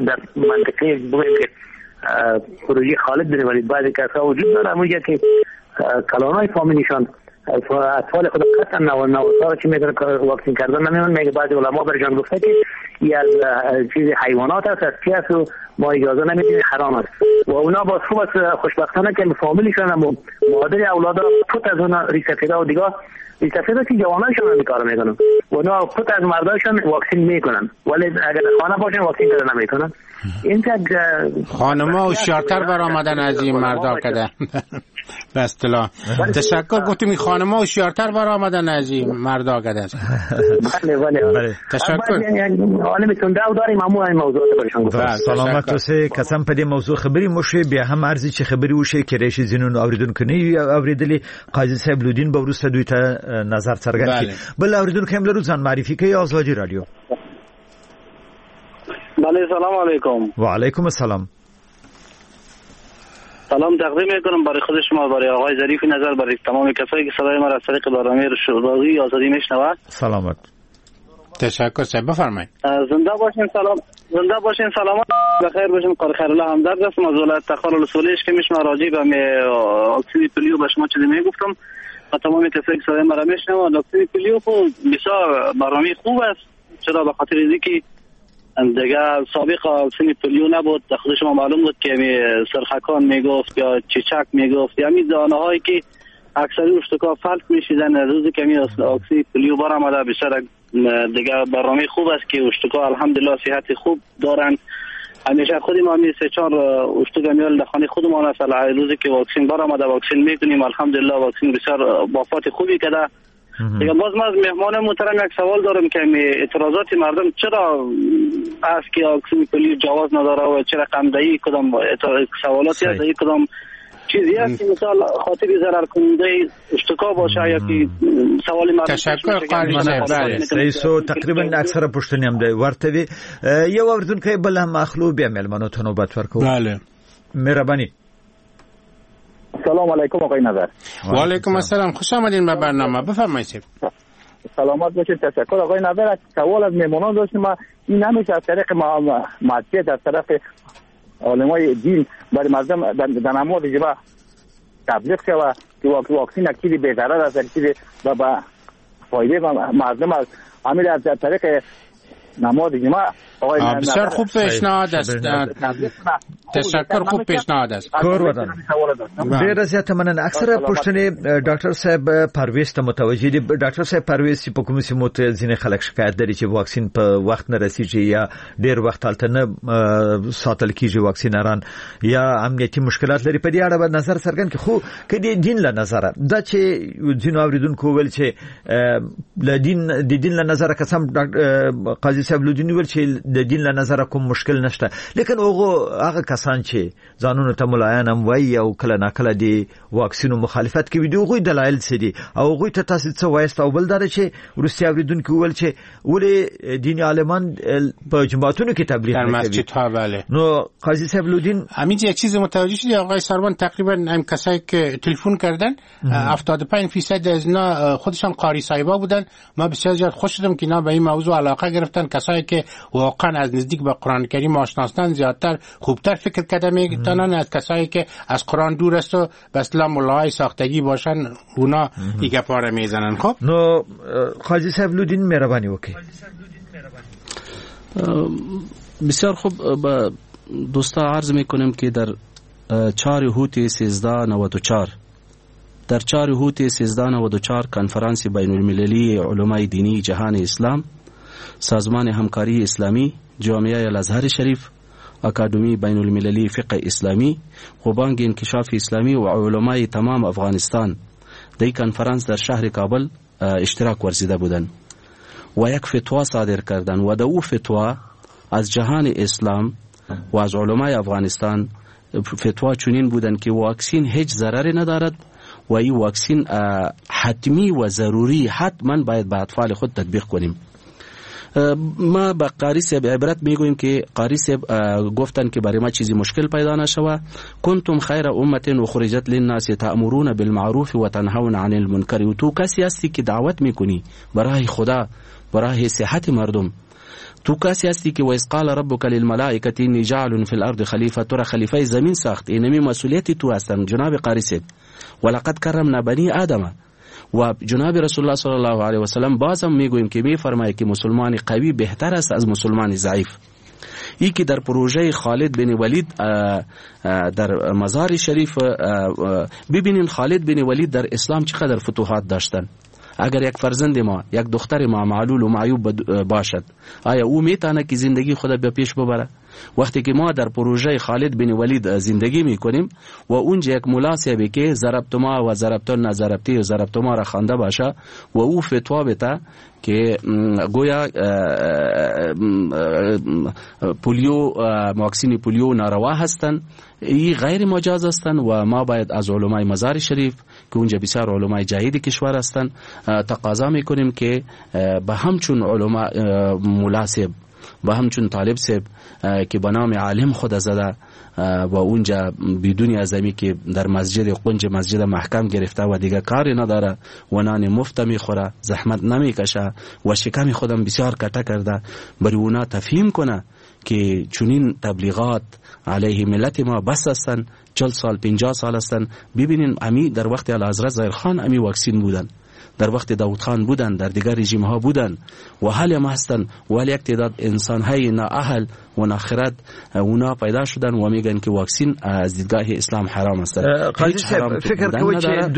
در منطقه بگویم که پروژه خالد داره، ولی بعضی کسا وجود داره همونجا که کلانای فامیلیشان اطفال خود قطعا نواسا که میدونن واکسین کردن نمیدونن. میگه بعضی علما برشان گفته که این از چیز حیوانات است، از چی است و ما اجازه نمیدیم، حرام است. و اونا باز خوب است خوشبختانه که فامیلیشان هم مادر اولادا پت از اونا ریسفیدا و دیگه ریسفیدا که جوانایشان هم کار میکنن و اونا پت از مردایشان واکسین میکنن، ولی اگر خانه باشن واکسین کردن نمیکنن. این خانم‌ها هوشیارتر برآمدن از این مردا کده. به اصطلاح تشکر. گفتیم این خانم‌ها هوشیارتر برآمدن از این مردا کده. بله بله تشکر. عالم تنده داریم همو این موضوعات برشان گفتم. سلامت اوسې. قسم په دې موضوع خبرې مو شوې، بیا هم عرض چې خبرې وشي کېدای شي ځینو اوریدونکو نه وي اورېدلې. قاضي صاحب لودین به وروسته دوی ته نظر څرګند کړي. بل اوریدونکی هم لرو، ځان معرفي کوي. ازادي رادیو. بله سلام علیکم. و علیکم السلام. سلام تقدیم میکنم برای خود شما، برای آقای ظریف نظر، برای تمام کسایی که صدای ما را از طریق برنامه رادیوی آزادی میشنوند. سلامت. تشکر صاحب، بفرمایید. زنده باشین. سلام. زنده باشین، سلامت بخیر باشین. قاری خیرالله همدرد هستم از ولایت تخار ولسوالیش که میشم راجع به واکسن پولیو به شما چیزی میگفتم و تمام کسایی که صدای ما را میشنوند. واکسن پولیو خب بسیار برنامه خوب است، چرا؟ به خاطر اینکه دیگه سابق واکسن پولیو نبود. خود شما معلوم بود که سرخکان میگفت یا چیچک میگفت، یعنی دانه هایی که اکثر اشتکا فلت میشیدن. روزی که می واکسن پولیو برآمده بسیار دیگه برنامه خوب است که اشتکا الحمدلله صحت خوب دارن. همیشه خودی ما می 3-4 اشتکا میال در خانه خودمان است. روزی که واکسن برآمده واکسن میکنیم، الحمدلله واکسن بسیار بافات خوبی کرده. دیگه باز ما از مهمان محترم یک سوال دارم که اعتراضات مردم چرا است که واکسن پولیو جواز نداره و چرا قمدهی کدام سوالاتی است، کدام چیزی است که مثال خاطر ضرر کننده اشتکا باشه یا که سوال مردم. تشکر قاری صاحب. سو تقریبا اکثره پوښتنې هم دی ورته وي. یو اوریدونکی بل هم اخلو، بیا مېلمنو ته نوبت ورکوو. بله مهرباني. سلام علیکم آقای نظر. و علیکم السلام، خوش آمدین به برنامه. بفرمایید. سلامت باشید. تشکر آقای نظر. سوال از مهمانان داشتیم. ما این همیشه از طریق مسجد، از طرف علمای دین برای مردم در نماز جمعه تبلیغ شود که واکسن یک چیزی بی ضرر است، یک چیزی با فایده مردم است. همین از طریق نماز جمعه آقای بسیار خوب پیشنهاد است. تشکر، خوب پیشنهاد است. کور ودان. ډیره زیاته مننه. اکثره پوښتنې ډاکټر صاحب پرویز ته متوجه دي. ډاکټر صاحب پرویز چې په کوم سیمو ته ځینې خلک شکایت لري چې واکسین په وخت نه رسیږي یا ډیر وخت هلته نه ساتل کیږي واکسینران، یا امنیتي مشکلات لري، په دې اړه به نظر څرګند کړي. خو که د دین له نظره دا چې ځینو اوریدونکو ویل چې له دین د دین له نظره که څه قاضي صاحب لودین ویل چې د دین له نظره کوم مشکل نشته، لیکن هغه کسان چې ځانونو ته ملایان هم وایي او کله ناکله د واکسینو مخالفت کوي، د هغوی دلایل څه دي او هغوی ته تاسو څه وایاست؟ او بل دا چې وروستي اوریدونکي وویل چې ولې دیني عالمان په جوماتونو کې تبلیغ در نه کوي مسجدها. بله. نو قاضي صاحب لودین همین یک چیز متوجه شدی آقای سروان، تقریبا هم کسایی که تلفن کردن 75% از اینا خودشان قاری صاحبا بودن. ما بسیار زیاد خوش شدم که اینا به این موضوع علاقه گرفتن. کسایی که واقعا از نزدیک با قرآن کریم آشنا هستند زیادتر خوبتر فکر کرده میتونن از کسایی که از قرآن دور است و به اصطلاح ملاهای ساختگی باشن، اونا این گپا را میزنن. خب نو قاضي صاحب لودین مهرباني وکړئ. بسیار خوب، با دوستا عرض میکنم که در 4 هوت 1394 در 4 هوت 1394 کنفرانس بین المللی علمای دینی جهان اسلام، سازمان همکاری اسلامی، جامعه الازهر شریف، اکادمی بین المللی فقه اسلامی و بانک انکشاف اسلامی و علمای تمام افغانستان در کنفرانس در شهر کابل اشتراک ورزیده بودند و یک فتوا صادر کردند و در او فتوا از جهان اسلام و از علمای افغانستان فتوا چنین بودند که واکسین هیچ ضرری ندارد و این واکسین حتمی و ضروری حتما باید به اطفال خود تطبیق کنیم. ما به قاری صاحب عبرت میگوییم که قاری صاحب گفتن که برای ما چیزی مشکل پیدا نشوه. کنتم خیر امه اخرجت للناس تأمرون بالمعروف و تنهون عن المنکر. و تو کسی هستی که دعوت میکنی برای خدا، برای صحت مردم. تو کسی هستی که و اذ قال ربک للملائکه انی جاعل فی الارض خلیفه، تو را خلیفه زمین ساخت، اینمی مسئولیت تو هستن جناب قاری صاحب. ولقد کرمنا بنی آدم. و جناب رسول الله صلی الله علیه و سلم بازم میگوییم که میفرماید که مسلمان قوی بهتر است از مسلمان ضعیف. ای که در پروژه خالد بن ولید در مزار شریف ببینین، خالد بن ولید در اسلام چقدر فتوحات داشتن. اگر یک فرزند ما، یک دختر ما معلول و معیوب باشد، آیا او میتونه که زندگی خود به پیش ببره؟ وقتی که ما در پروژه خالد بن ولید زندگی میکنیم و اونجا یک ملا صاحبی که ضربتما و ضربتن ضربتی و ضربتما را خوانده باشه و او فتوا بده که گویا پولیو، واکسین پولیو ناروا هستند، ای غیر مجاز هستند و ما باید از علمای مزار شریف که اونجا بسیار علمای جهید کشور هستند تقاضا میکنیم که به همچون علما ملا صاحب، به همچون طالب صاحب که به نام عالم خود زده و اونجا بدون ازمی که در مسجد قنج مسجد محکم گرفته و دیگه کاری نداره و نان مفت میخوره، زحمت نمیکشه و شکم خودم بسیار کته کرده، برای اونا تفهیم کنه که چنین تبلیغات علیه ملت ما بس هستن، 40 سال 50 سال هستن. ببینین امی در وقت اعلیحضرت ظاهر خان امی واکسین بودن، در وقت داود خان بودن، در دیگر رژیم ها بودن و حال هم هستن، ولی یک تعداد انسان های نااهل و ناخرد اونا پیدا شدن و میگن که واکسین از دیدگاه اسلام حرام است. قاضي صاحب فکر کوي چې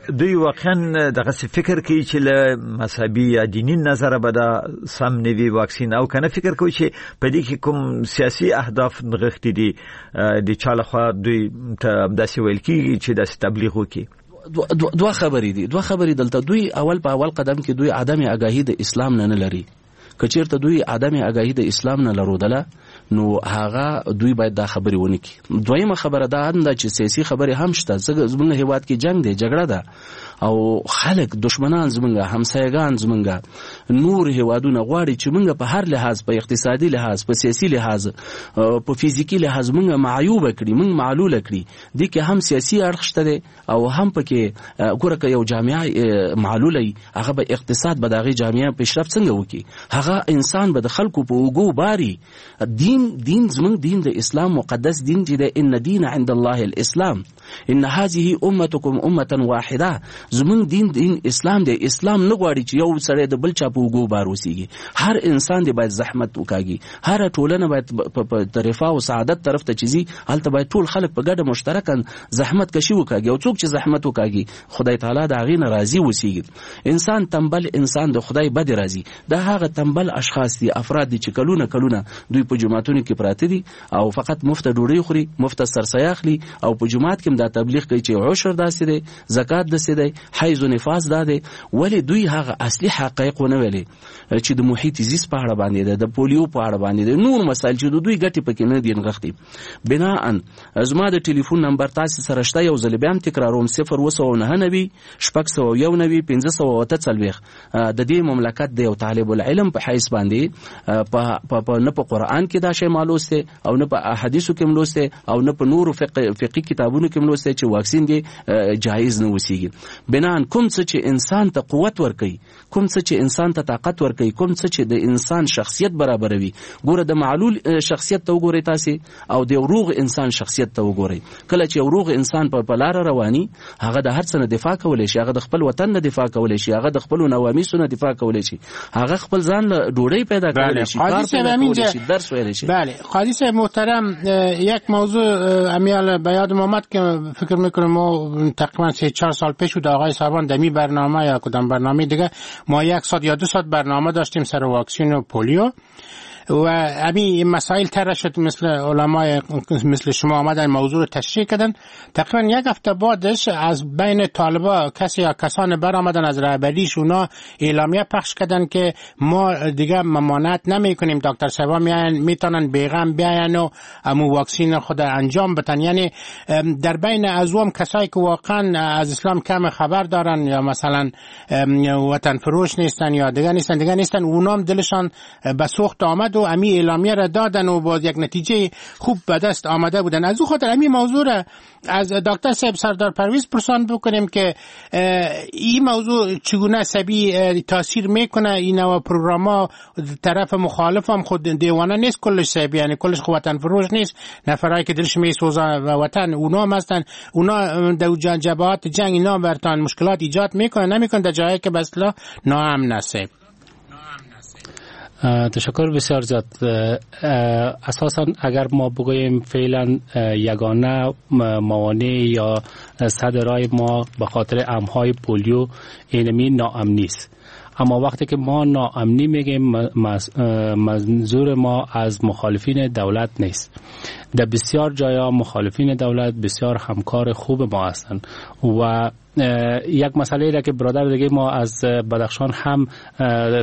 دوی واقعا دغه فکر کوي چې له مذهبي یا دیني نظر به دا سم نه وي واکسین، او کنه فکر کوي چې په دې کې کوم سیاسي اهداف نغښتي دي، د چا لخوا دوی ته داسې ویل کیږي چې داسې تبلیغ وکړي؟ دوه خبرې دي، دوه خبرې دلته. دوی اول په اول قدم کې دوی عدم آگاهي د اسلام نه لري. که چیرته دوی عدم آگاهي د اسلام نه لرودله نو هغه دوی باید دا خبرې ونه کړي. دویمه خبره دا هم ده چې سیاسي خبرې هم شته. زمونږ هیواد کې جنگ دی، جګړه ده او خلک دشمنان زمونږ، همسایگان زمونږ، نور هیوادونه غواړي چې مونږ په هر لحاظ، په اقتصادي لحاظ، په سیاسي لحاظ، په فزیکي لحاظ مونږ معیوب کړي، مونږ معلول کړي. دې کې هم سیاسي اړخ شته دی او هم پکې ګوره که یو جامعه معلوله وي، هغه به اقتصاد به د هغې جامعه پیشرفت څنګه وکړي؟ هغه انسان به د خلکو په اوږو باري. دین زمونږ دین د اسلام مقدس دین چې دی، ان دین عند الله الاسلام، ان هذه امتکم امه واحده. زمونږ دین اسلام دی. اسلام نه غواړي چې یو سړی د بل چا په اوږو بار اوسېږي. هر انسان دی باید زحمت وکاږي، هره ټولنه باید په رفاه او سعادت طرف ته چې ځي هلته باید ټول خلک په ګډه مشترکاً زحمت کشي وکاږي، او څوک چې زحمت وکاږي خدای تعالی د هغې نه راضي اوسېږي. انسان تنبل انسان د خدای بد راضي. دا هغه تنبل اشخاص دي، افراد دي چې کلونه کلونه دوی په جوماتونو کې پراته دي او فقط مفته ډوډۍ خوري، مفته سرسایه اخلي او په جومات کې هم دا تبلیغ کوي چې عشر داسې دی، زکات داسې دی، حیض و نفاس دا دی. ولې دوی هغه اصلي حقایق ونه ویلې چې د محیط زیست په اړه باندې ده، د پولیو په اړه باندې ده، نور مسایل چې د دوی ګټې پکې نه دي نغښتي. بناءً زما د ټلیفون نمبر تاسې سره شته، یو ځل بیا هم تکراروم، 099 691 548. د دې مملکت د یو طالب العلم په حیث باندې په نه په قرآن کې دا شی ما لوستی او نه په احادیثو کې لوستی او نه په نورو فقهي کتابونو کې لوستی چې واکسین دې جایز نه وسیږي. بناءً کوم څه چې انسان ته قوت ورکوي، کوم څه چې انسان ته طاقت ورکوي، کوم څه چې د انسان شخصیت برابروي، ګوره د معلول شخصیت ته وګورئ تاسې او د یو روغ انسان شخصیت ته وګورئ. کله چې یو روغ انسان په لاره رواني، هغه د هر څه نه دفاع کولی شي، هغه د خپل وطن نه دفاع کولی شي، هغه د خپلو نوامیسو نه دفاع کولی شي، هغه خپل ځان له ډوډۍ پیدا کولی شي، کار پیدا کولی شي، درس ویلی شي. بله قاضي صاحب محترم، یک موضوع امیال به یادم آمد که فکر میکنم ما تقریبا 3-4 سال پیش بود آقای سروان دمی برنامه یا کدام برنامه دیگه، ما 1 ساعت یا 2 ساعت برنامه داشتیم سر واکسین و پولیو. و همین مسائل تر شد، مثل علمای مثل شما آمدن موضوع رو تشریح کردن. تقریبا یک هفته بعدش از بین طالبا کسی یا کسان برآمدن از رهبریش، اونا اعلامیه پخش کردن که ما دیگه ممانعت نمی کنیم، دکتر صاحبا میاین، میتونن بیغم بیاین و امو واکسین خود انجام بتن. یعنی در بین ازوم کسایی که واقعا از اسلام کم خبر دارن یا مثلا وطن فروش نیستن یا دیگه نیستن، اونام دلشان به سوخت آمد و امی اعلامیه را دادن و باز یک نتیجه خوب به دست آمده بودن. از او خاطر امی موضوع را از دکتر صاحب سردار پرویز پرسان بکنیم که این موضوع چگونه سبی تاثیر میکنه. این نوع پروگرام طرف مخالف هم خود دیوانه نیست کلش صاحب، یعنی کلش خود وطن فروش نیست، نفرایی که دلش میسوزه و وطن اونا هم هستن، اونا در جبهات جنگ اینا برتان مشکلات ایجاد میکنه نمیکنه در جایی که به اصطلاح ناامن است. تشکر بسیار زیاد. اساسا اگر ما بگوییم فعلا یگانه موانع یا سد رای ما به خاطر امهای پولیو اینمی ناامنی است. اما وقتی که ما ناامنی میگیم منظور ما از مخالفین دولت نیست. در بسیار جایا مخالفین دولت بسیار همکار خوب ما هستند و یک مسئله را که برادر دیگه ما از بدخشان هم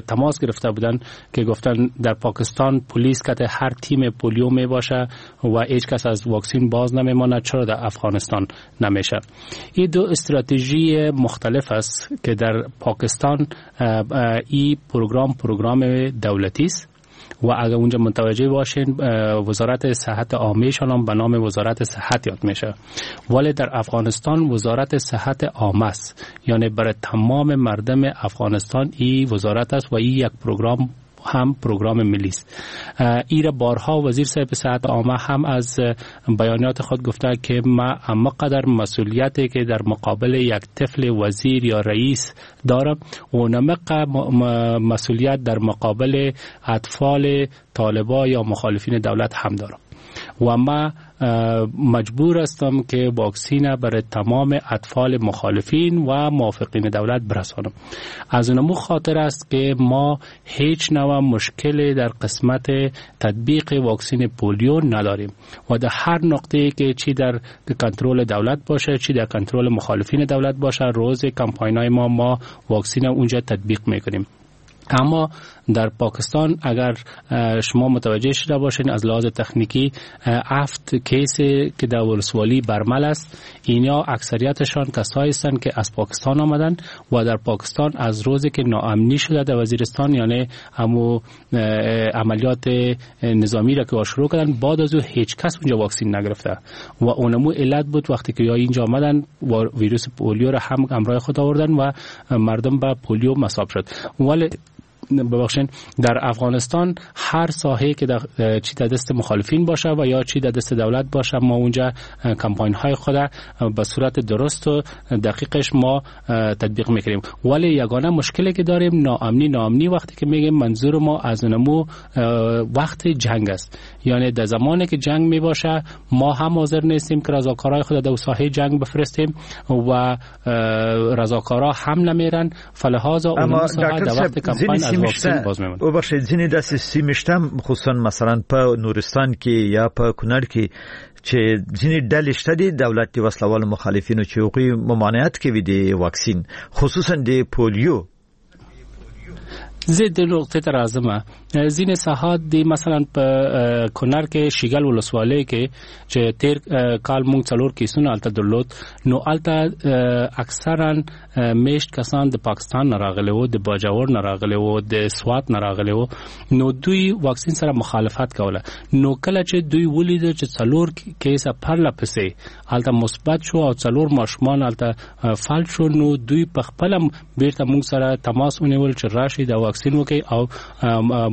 تماس گرفته بودن که گفتن در پاکستان پلیس که هر تیم پولیو می باشه و هیچ کس از واکسین باز نمیماند، چرا در افغانستان نمیشه؟ این دو استراتژی مختلف است که در پاکستان این پروگرام دولتی است و اگر اونجا متوجه باشین وزارت صحت عامه شان هم به نام وزارت صحت یاد میشه، ولی در افغانستان وزارت صحت عامه است، یعنی برای تمام مردم افغانستان این وزارت است و این یک پروگرام هم پروگرام ملی است. ایره بارها وزیر صاحب صحت عامه هم از بیانات خود گفته که ما اما قدر مسئولیتی که در مقابل یک طفل وزیر یا رئیس دارم و نمق مسئولیت در مقابل اطفال طالبا یا مخالفین دولت هم دارم و ما مجبور هستم که واکسین برای تمام اطفال مخالفین و موافقین دولت برسانم. از اونمو خاطر است که ما هیچ نوع مشکل در قسمت تطبیق واکسین پولیو نداریم و در هر نقطه‌ای که چی در کنترل دولت باشه چی در کنترل مخالفین دولت باشه روز کمپاین‌های ما واکسین اونجا تطبیق میکنیم. اما در پاکستان اگر شما متوجه شده باشین از لحاظ تکنیکی 7 case که در ولسوالی برمل است، اینا اکثریتشان کسایی هستند که از پاکستان آمدن و در پاکستان از روزی که ناامنی شده در وزیرستان، یعنی همو عملیات نظامی را که شروع کردن، بعد از او هیچ کس اونجا واکسین نگرفته و اونمو علت بود وقتی که یا اینجا آمدن و ویروس پولیو را هم همراه خود آوردن و مردم به پولیو مصاب شد. ولی ببخشین در افغانستان هر ساحه که در چی در دست مخالفین باشه و یا چی در دست دولت باشه، ما اونجا کمپاین های خود به صورت درست و دقیقش ما تطبیق میکنیم. ولی یگانه مشکلی که داریم ناامنی وقتی که میگیم منظور ما از اونمو وقت جنگ است، یعنی در زمانی که جنگ میباشه ما هم حاضر نیستیم که رضاکارای خود در ساحه جنگ بفرستیم و رضاکارا هم نمیرن، فلهذا اون ساحه در وقت کمپاین از واکسین باز میمونه. وبخښئ، ځینې داسې سیمې شته خصوصا مثلا په نورستان کې یا په کونړ کې چې ځینې ډلې شته دي دولت د وسلهوالو مخالفینو چې هغوی ممانعت کوي د واکسین، خصوصا د پولیو. زه د نقطې ته راځم. ځینې ساحات دي مثلا په کونړ کې شیګل ولسوالۍ کې چې تیر کال موږ 4 کیسونه هلته درلود، نو هلته اکثرا میشت کسان د پاکستان نه راغلي وو، د باجوړ نه راغلي وو، د سوات نه راغلي وو، نو دوی واکسین سره مخالفت کوله. نو کله چې دوی ولیدل چې 4 کیسه پرله پسې هلته مثبت شو او 4 ماشومان هلته فلج شو، نو دوی په خپله بیرته موږ سره تماس ونیول چې راشي د واکسین وکړي او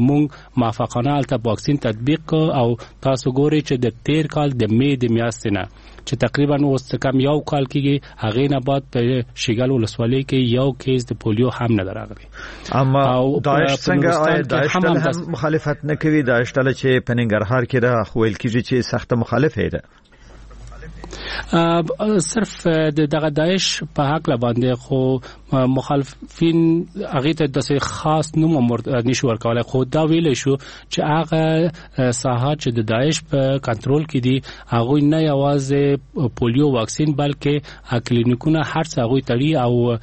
موږ موافقانه هلته واکسین تطبیق کړ. او تاسو ګورئ چې د تیر کال د می د میاشتې نه چې تقریبا اوس څه کم یو کال کېږي هغې نه بعد په شیګل ولسوالۍ کې یو کیس د پولیو هم نه راغلی. اما داعش څنګه آیا داعش ډله هم مخالفت نه کوي؟ داعش ډله چې په ننګرهار کې ده خو ویل کېږي چې سخته مخالفه ده. صرف د دغه داعش په حق باندې خو مخالفین هغې ته داسې خاص نوم نشو ورکولی، خو دا ویلی شو چې هغه ساحات چې د داعش په کنټرول کې دي هغوی نه یوازې پولیو واکسین بلکې کلینیکونه هر څه هغوی تړي او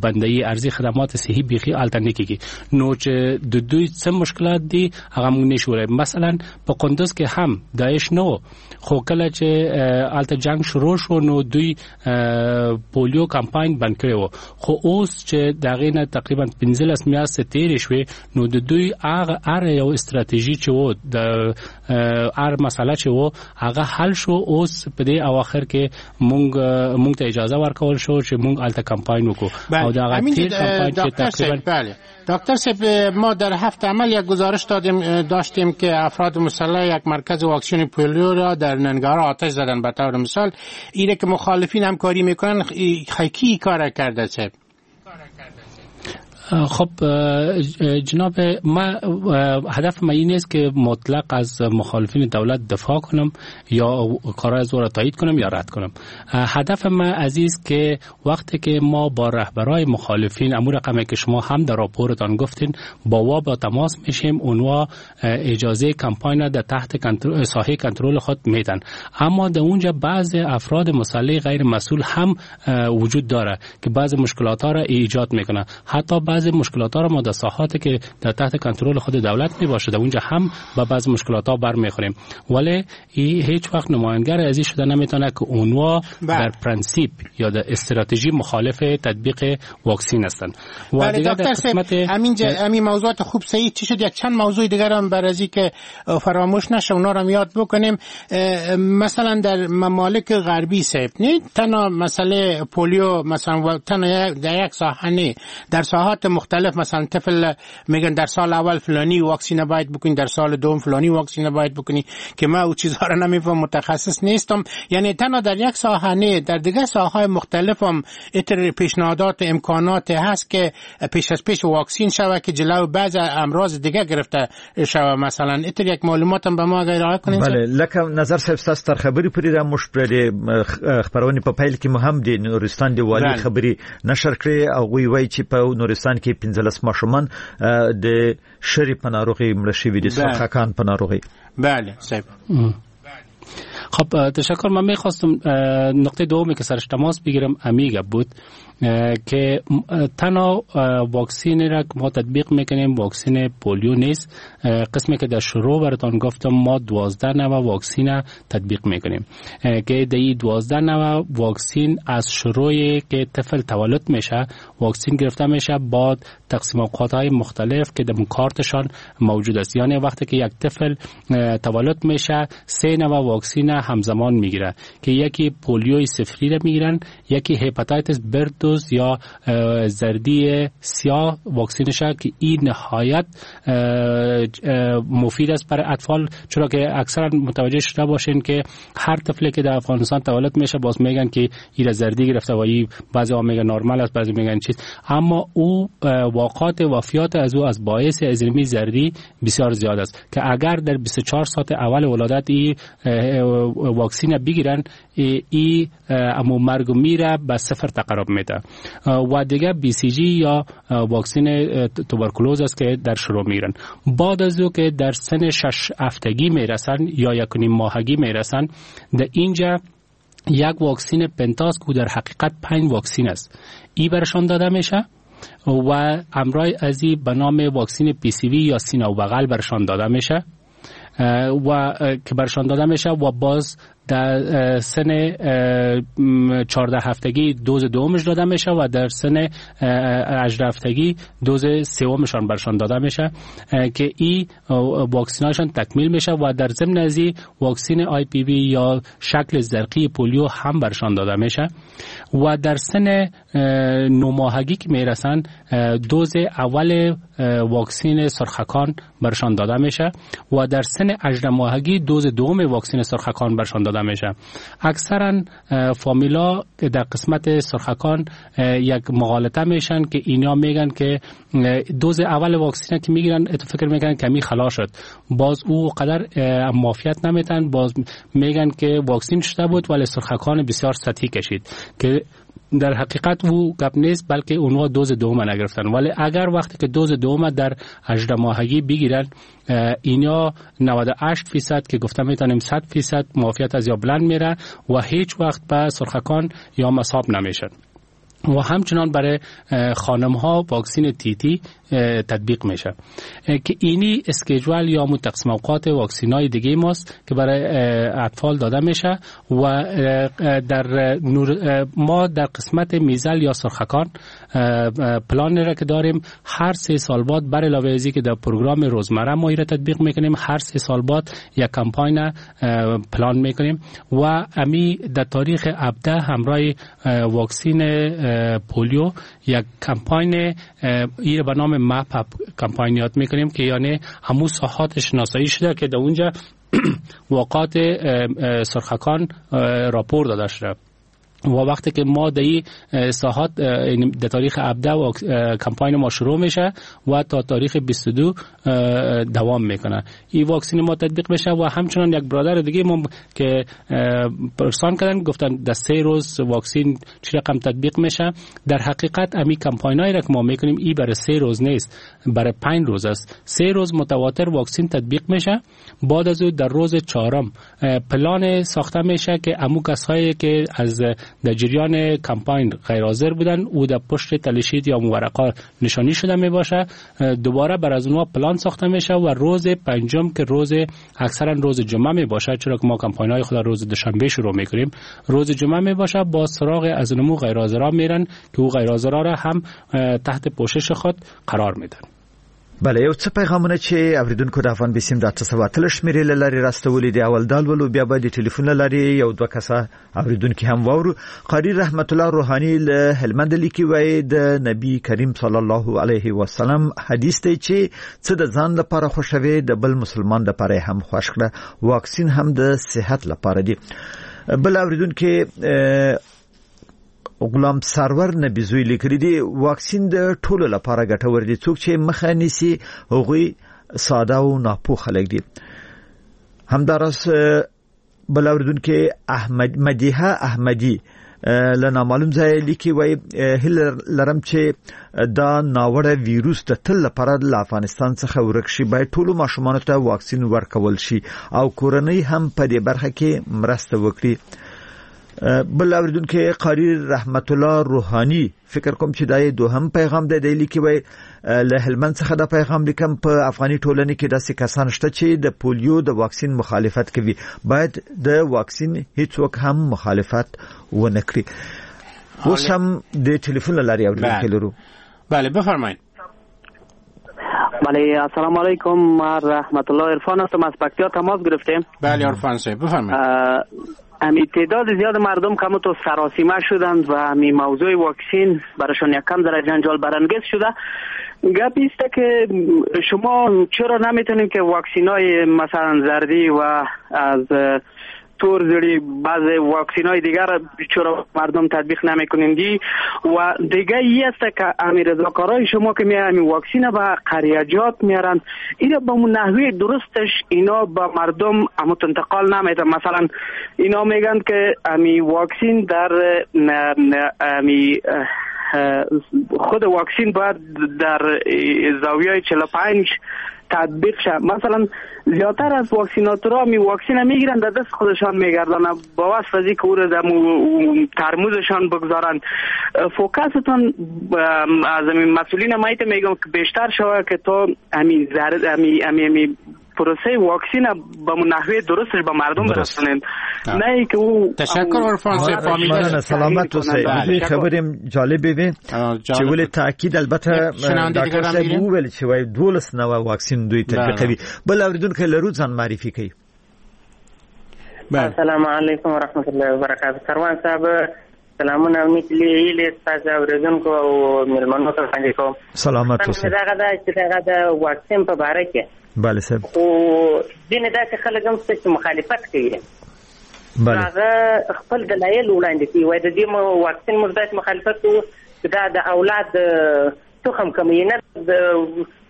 بندوي، ارزي خدمات صحي بیخي هلته نه کېږي. نو چې د دوی څه مشکلات دي هغه موږ نشو ویلی. مثلا په کندز کې هم داعش نه و، خو کله چې هلته جنگ شروع شو نو دوی پولیو کمپاین بند کړی و، خو اوس چې د هغې نه تقریبا 15 میاشتې تېرې شوې نو د دوی هغه هر یو استراتیژي چې و، د هر مسله چې و هغه حل شو. اوس په دې اواخر کې مونږ ته اجازه ورکول شو چې مونږ هلته کمپاین وکړو. او د هغه تېر کمپاین چې تقریبا دکتر صاحب، ما در هفته عمل یک گزارش داشتیم که افراد مسلح یک مرکز واکسین پولیو را در ننگرهار آتش زدن. به طور مثال اینه که مخالفین همکاری میکنن، کی کار کرده صاحب؟ خب جناب، ما هدف ما این است که مطلق از مخالفین دولت دفاع کنم یا کارهای از او را تایید کنم یا رد کنم. هدف ما عزیز که وقتی که ما با رهبرای مخالفین امور رقمی که شما هم در راپورتان گفتین با با تماس میشیم، اونها اجازه کمپاین در تحت ساحه کنترل خود میدن. اما در اونجا بعض افراد مسلح غیر مسئول هم وجود داره که بعض مشکلات ها را ایجاد میکنه. حتی بعض مشکلات ها را ما در ساحاتی که در تحت کنترل خود دولت می باشه در اونجا هم با بعض مشکلات ها برمیخوریم، ولی هیچ وقت نماینگر از این شده نمیتونه که اونها در پرنسیپ یا در استراتژی مخالف تطبیق واکسین هستند. و دیگر در قسمت همین موضوعات خوب صحیح چی شد، یک چند موضوع دیگر هم برای که فراموش نشه اونا را یاد بکنیم. مثلا در ممالک غربی صاحب نه تنها مسئله پولیو، مثلا تنها در یک ساحه نه، در ساحات مختلف، مثلا طفل میگن در سال اول فلانی واکسین باید بکنی، در سال دوم فلانی واکسین باید بکنی، که من او چیزها را نمیفهم، متخصص نیستم. یعنی تنها در یک ساحه نه، در دیگر ساحه‌های مختلف هم اتر پیشنهادات امکانات هست که پیش از پیش واکسین شوه که جلو بعض امراض دیگه گرفته شوه. مثلا اتر یک معلومات هم به ما اگر ارائه کنین. بله، لکه نظر صاحب ستاسو تر خبرې پورې را موږ پر خپرونې په پیل کې مو هم د نورستان د والي خبرې نشر کړې. هغوی وایي چې په نورستان کې 15 ماشومان د شری په ناروغي مړه شوي دي، سرخکان په ناروغي. بله صاحب. خب تشکر. من میخواستم نقطه دومی که سرش تماس بگیرم امیگه بود که تنها واکسین را که ما تطبیق میکنیم واکسین پولیو نیست. قسمی که در شروع براتان گفتم ما 12 نوع واکسین تطبیق میکنیم که در این 12 نوع واکسین از شروع که طفل تولد میشه واکسین گرفته میشه با تقسیم اوقات های مختلف که در کارتشان موجود است. یعنی وقتی که یک طفل تولد میشه 3 نوع واکسین همزمان میگیره که یکی پولیوی صفری را میگیرن، یکی هپاتایتس بردوز یا زردی سیاه واکسینش که این نهایت مفید است برای اطفال، چرا که اکثرا متوجه شده باشین که هر طفلی که در افغانستان تولد میشه باز میگن که این زردی گرفته و این بعضی ها میگن نرمال است، بعضی میگن چیز، اما او واقعات وفیات از او از باعث ازرمی زردی بسیار زیاد است که اگر در 24 ساعت اول ولادت این واکسین بگیرن ای امو مرگ میره به صفر تقرب میده. و دیگه بی سی جی یا واکسین توبرکلوز است که در شروع میرن. بعد از او که در سن 6 هفتگی میرسن یا 1.5 ماهگی میرسن، در اینجا یک واکسین پنتاس که در حقیقت 5 واکسین است ای برشان داده میشه و امرای ازی به نام واکسین پی سی وی یا سینه و بغل برشان داده میشه و که برشان داده میشه و باز در سن 14 هفتگی دوز دومش داده میشه و در سن 18 هفتگی دوز سومشان برشان داده میشه که این واکسیناشان تکمیل میشه و در ضمن از این واکسین آی پی وی یا شکل زرقی پولیو هم برشان داده میشه و در سن 9 ماهگی که میرسن دوز اول واکسین سرخکان برشان داده میشه و در سن 18 ماهگی دوز دوم واکسین سرخکان برشان داده میشه. اکثرا فامیلا در قسمت سرخکان یک مغالطه میشن که اینا میگن که دوز اول واکسین که میگیرن فکر میکنن کمی خلاص شد، باز او قدر معافیت نمیتن، باز میگن که واکسین شده بود ولی سرخکان بسیار سطحی کشید که در حقیقت او گپ نیست، بلکه اونها دوز دوم نگرفتن. ولی اگر وقتی که دوز دوم در 18 ماهگی بگیرن، اینا 98% که گفتم میتونیم 100% معافیت از یا بلند میره و هیچ وقت به سرخکان یا مصاب نمیشن. و همچنان برای خانم ها واکسین تی تی تطبیق میشه که اینی schedule یا تقسیم اوقات واکسین های دیگه ماست که برای اطفال داده میشه. و در ما در قسمت measles یا سرخکان پلان را که داریم، هر 3 سال بعد بر علاوه از که در پروگرام روزمره ما را تطبیق میکنیم، هر 3 سال بعد یک کمپاین پلان میکنیم و امی در تاریخ 17 همراه واکسین پولیو یک کمپاین ایره به نام map up کمپاین یاد میکنیم که یعنی همون ساحات شناسایی شده که در اونجا واقعات سرخکان راپور داده شده. و وقتی که ما در این ساحات در تاریخ 17 و کمپاین ما شروع میشه و تا تاریخ 22 دوام میکنه، این واکسین ما تطبیق میشه. و همچنان یک برادر دیگه ما که پرسان کردن، گفتن در 3 روز واکسین چه رقم تطبیق میشه. در حقیقت امی کمپاین هایی را که ما میکنیم ای برای 3 روز نیست، برای 5 روز است. 3 روز متواتر واکسین تطبیق میشه. بعد از او در روز 4 پلان ساخته میشه که امو کسایی که از در جریان کمپاین غیر حاضر بودن او در پشت tally sheet یا ورقا نشانی شده می باشه، دوباره بر از اونها پلان ساخته میشه و روز 5 که روز اکثرا روز جمعه می باشه، چرا که ما کمپاین های خود روز دوشنبه شروع میکنیم، روز جمعه می باشه، با سراغ از اونمو غیر حاضرا میرن که او غیر حاضرا را هم تحت پوشش خود قرار میدن. بله، یو څه پیغامونه چې اوریدونکو د افغان بیسیم د 818 شمیرې له لارې راستولي دي. اول دا لولو، بیا به د ټلیفون له لارې یو دوه کسه اوریدونکي هم واورو. قاری رحمت الله روحاني له هلمند لیکي، وایي د نبی کریم صلی الله علیه وسلم حدیث دی چې څه د ځان لپاره خوښوي د بل مسلمان لپاره هم خوښ کړه، واکسین هم د صحت لپاره دی. بل اوریدونکي غلام سرور نبی زوی لیکلی دی، واکسین د ټولو لپاره ګټور دی، څوک چې مخه نیسي هغوی ساده او ناپوه خلک دي. همداراز بل اوریدونکی احمد مدیحه احمدی له نامعلوم ځایه لیکي، وایي هیله لرم چې دا ناوړه ویروس د تل لپاره له افغانستان څخه ورک شي، باید ټولو ماشومانو ته واکسین ورکول شي او کورنۍ هم په دې برخه کې مرسته وکړي. بل اوریدونکی قاری رحمت الله روحاني، فکر کوم چې دا یې دوهم پیغام دی، دی لیکي وایي له هلمند څخه دا پیغام لیکم، په افغاني ټولنې کې داسې کسان شته چې د پولیو د واکسین مخالفت کوي، باید د واکسین هیڅوک هم مخالفت ونه کړي. اوس هم د ټلیفون له لارې اوریدونکی لرو. بله بفرمایید. بله السلام علیکم، من رحمت الله عرفان هستم، از پکتیا تماس گرفتیم. بله عرفان صاحب بفرمایید. امی تعداد زیاد مردم که تو سراسیمه شدند و امی موضوع واکسین براشون یکم در جنجال برانگیز شده. گپ ایست که شما چرا نمیتونید که واکسینای مثلا زردی و از تور زری بعض واکسینای دیگر چرا مردم تطبیق نمیکنیندی؟ و دیگه ای است که امی رضاکارای شما که می امی واکسین به قریجات میارن، اینا به نحوه درستش اینا به مردم امو انتقال نمیدن. مثلا اینا میگن که امی واکسین در امی خود واکسین باید در زاویه 45 تطبیق شه. مثلا زیادتر از واکسیناتورها می واکسین میگیرن در دست خودشان میگردن، با وصف از اینکه او را در ترموزشان بگذارن. فوکستون از همین مسئولین مایت میگم که بیشتر شوه که تا همین زرد همی پروسه واکسین به نحوه درستش به مردم برسونند، نه اینکه او. تشکر عرفان صاحب، فهمیدم. سلامت اوسئ. دوی خبرې جالبې وې چې ولې تاکید البته ډاکټر صاحب وویل چې وایي 12 نوع واکسین دوی تطبیقوي. بل اوریدونکی لرو ځان معرفي کوي. السلام علیکم ورحمت الله وبرکاته. سروان صاحب سلامونه او نیکې هیلې ستاسو اورېدونکو او مېلمنو ته وړاندې کوم. سلامت اوسئ. دغه دا چې دغه د واکسین په باره کې بله صاحب، خو ځینې داسې خلک هم شته چې مخالفت کوي. بله هغه خپل دلایل وړاندې کوي، وایي د دې واکسین موږ داسې مخالفت کوو چې دا د اولاد تخم کموي، نه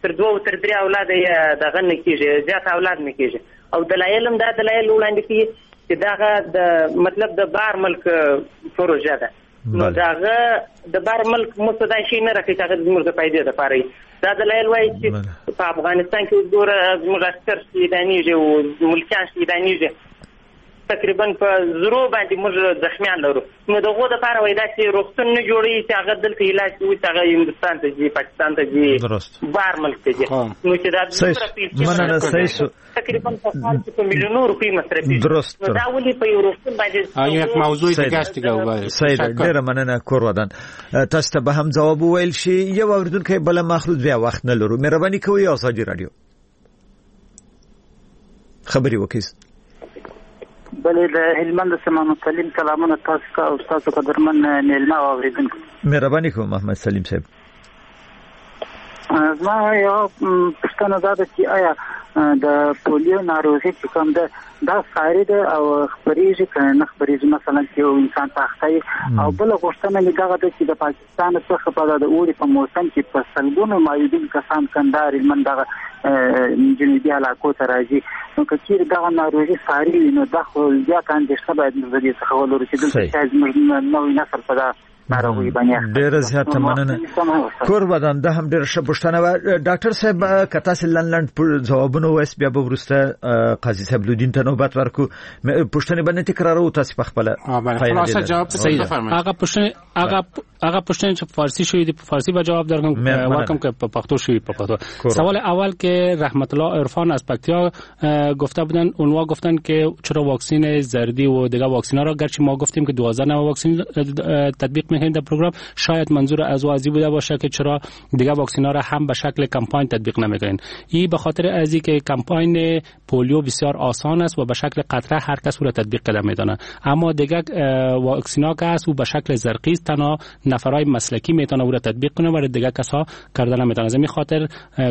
تر 2 تر 3 اولاده یې دغه نه کېږي، زیات اولاد نه کېږي. او دلایل هم دا دلایل وړاندې کوي چې دغه د مطلب د بار ملک پروژه ده. نو د هغه د بر ملک موږ ته دا شی نه راکوي چې هغه زموږ د فایدې دپاره وي. دا دلایل وایي چې په افغانستان کې اوس ګوره زموږ عسکر شهیدانېږي او ملکیان شهیدانېږي، تقریبا په زرو باندې موږ زخمیان لرو، نو د هغو دپاره وایي داسې روغتون نه جوړوي چې هغه دلته علاج کوي، چې هغه هندوستان ته ځي، پاکستان ته ځي، بهر ملک ته ځي. نو چې دا دومره پیسې تقریبا په کال کې په میلیونو روپۍ مصرفېږي، نو دا ولې په یو روغتون باندې یک موضوع دیگه است دیگه. صحیح ده، ډېره مننه کور ودان. تاسو ته به هم ځواب وویل شي. یو اورېدونکی بله مخلوط بیا وخت نه لرو، مهرباني کوئ ازادي راډیو خبرې وکړئ. بله د هلمند محمد سلیم سلامونه تاسو ته او تاسو قدرمن میلمه او اورېدونکو. مهرباني کوم محمد سلیم صاحب. زما یو پوښتنه دا ده چې آیا د پولیو ناروغي چې کوم ده دا ساري ده او خپرېږي که نه خپرېږي، مثلا چې یو انسان په اخته وي؟ او بله غوښتنه مې دغه ده چې د پاکستان څخه په د اوړي په موسم کې په سلګونو معیوبین کسان کندهار هلمند دغه جنوبي علاقو ته راځي، نو که چیرې دغه ناروغي ساري وي نو دا خو زیاته اندېښنه باید موږ د دې څخه ولرو چې دلته شاید زموږ نوی نسل په دا ناروغي باندې. ډېره زیاته مننه کور ودان. دا هم ډېره ښه پوښتنه وه. ډاکټر صاحب که تاسې لنډ لنډ ځوابونه ووایاست بیا به وروسته قاضي صاحب لودین ته نوبت ورکړو. پوښتنې به نه تکرارو، تاسې په خپله خلاصه جواب بفرمایئ. هغه پوښتنې هغه پوښتنې چې فارسی شوې دي په فارسی به جواب درکم ورکم که په پښتو شوې په پښتو. سوال اول که رحمت الله عرفان از پکتیا گفته بودن، اونها گفتن که چرا واکسین زردی و دیگه واکسینا را، گرچه ما گفتیم که 12 نوع واکسین تطبیق میکنیم در پروگرام، شاید منظور از او بوده باشه که چرا دیگه واکسینا را هم به شکل کمپاین تطبیق نمیکنین. این به خاطر ازی که کمپاین پولیو بسیار آسان است و به شکل قطره هر کس او را تطبیق کرده میتونه، اما دیگه واکسینا که است او به شکل زرقی است، تنها نفرای مسلکی میتونه او را تطبیق کنه و دیگه کسا کرده نمیتونه. از این خاطر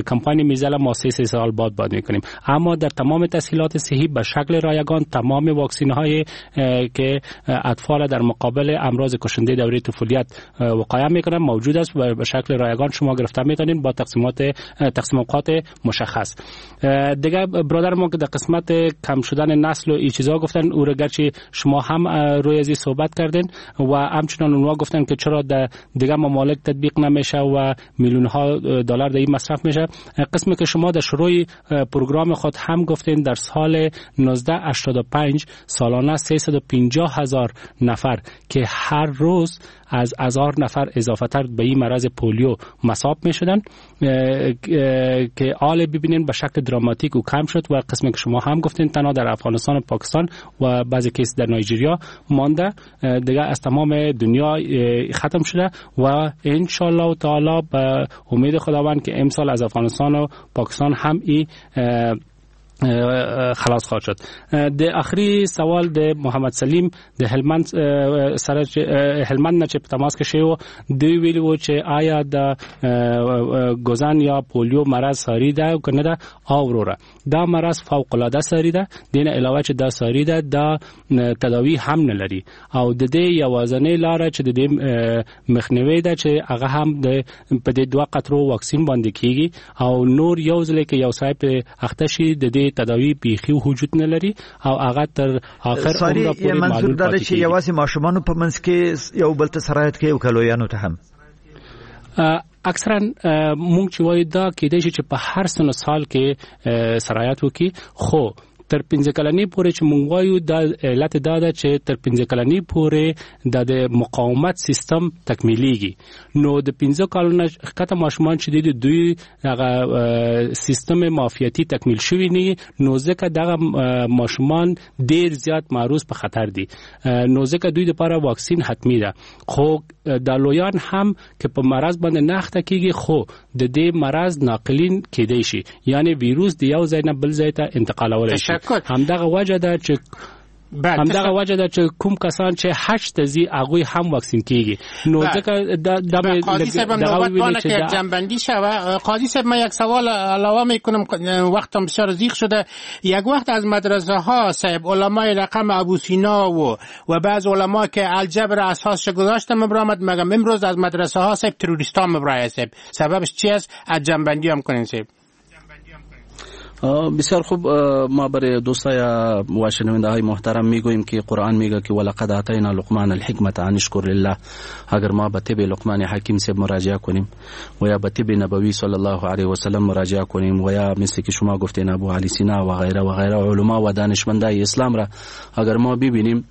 کمپاین میزل ما 3 سال بعد میکنیم. اما در تمام تسهیلات صحی به شکل رایگان تمام واکسین های که اطفال در مقابل امراض کشنده دوره طفولیت وقایع میکنن موجود است و به شکل رایگان شما گرفته میتونین با تقسیم اوقات مشخص. دیگه برادر ما که در قسمت کم شدن نسل و این چیزا گفتن، او را گرچه شما هم روی از صحبت کردین و همچنان اونها گفتن که چرا در دیگه ممالک تطبیق نمیشه و میلیون ها دلار در این مصرف میشه. قسمی که شما در شروع پروگرام خود هم گفتین، در سال 1985 سالانه 350,000 نفر که هر روز از 1000 نفر اضافه تر به این مرض پولیو مصاب می شدن که آل ببینین به شکل دراماتیک او کم شد و قسمی که شما هم گفتین تنها در افغانستان و پاکستان و بعضی کیس در نایجریا مانده، دیگه از تمام دنیا ختم شده و ان شاء الله تعالی به امید خداوند که امسال از افغانستان و پاکستان هم ای خلاص خواهد شد. د آخري سوال د محمد سلیم د هلمند سره هلمند نه چې په تماس کې شوی و، دوی ویلي وو چې آیا د ګوزان یا پولیو مرض ساري ده او که نه ده؟ او وروره دا مرض فوق العاده ساري ده، دین علاوه چې دا ساري ده دا تداوی هم نه لري او د دې یوازنۍ لاره چې د دې مخنیوي ده چې هغه هم د په دې 2 قطرو واکسین باندې کیږي او نور یو ځل کې یو صاحب اخته شي د دې تداوی بیخي وجود نه لري او هغه تر آخر عمر پورې منظور دا چې یوازې ماشومانو په منځ کې یو بل ته سرایت کوي او کلویانو ته هم؟ اکثرا مونږ چې وایو دا کېدای شي چې په هر سن سال کې سرایت وکړي، خو تر 15 کلنۍ پورې چې مونږ وایو دا علت دا ده چې تر 15 کلنۍ پورې د مقاومت سیستم تکمیلیږي، نو د 15 کالو نه ښکته ماشومان چې دي دوی هغه سیستم معافیتي تکمیل شوی نه، نو ځکه دغه ماشومان ډیر زیات معروض په خطر دي، نو ځکه دوی لپاره واکسین حتمی ده. خو د لویان هم که په مرض باندې نه اخته کیږي خو د دې مرض ناقلین کېدای شي، یعنی ویروس د یو ځای نه بل ځای ته انتقالولی شي. همدغه وجه ده چې کوم کسان چې حج ته ځي هغوی هم واکسین کیږي، نو ځکه دا قاضی صاحب نوبت بانه که جنبندی شوه. قاضی صاحب من یک سوال علاوه میکنم، وقتم بسیار زیق شده. یک وقت از مدرسه ها صاحب علمای رقم ابو سینا و بعض علما که الجبر اساسش گذاشتم مبرامد، مگم امروز از مدرسه ها صاحب تروریستان مبرای صاحب، سببش چی است؟ از جنبندی هم کنین صاحب. بسیار خوب. ما برای دوستای و شنونده های محترم میگوییم که قرآن میگه که ولقد آتینا لقمان الحکمت ان اشکر لله. اگر ما به طب لقمان حکیم صاحب مراجعه کنیم و یا به طب نبوی صلی الله علیه و سلم مراجعه کنیم و یا مثل که شما گفتین ابو علی سینا و غیره و غیره علما و دانشمندای اسلام را اگر ما ببینیم،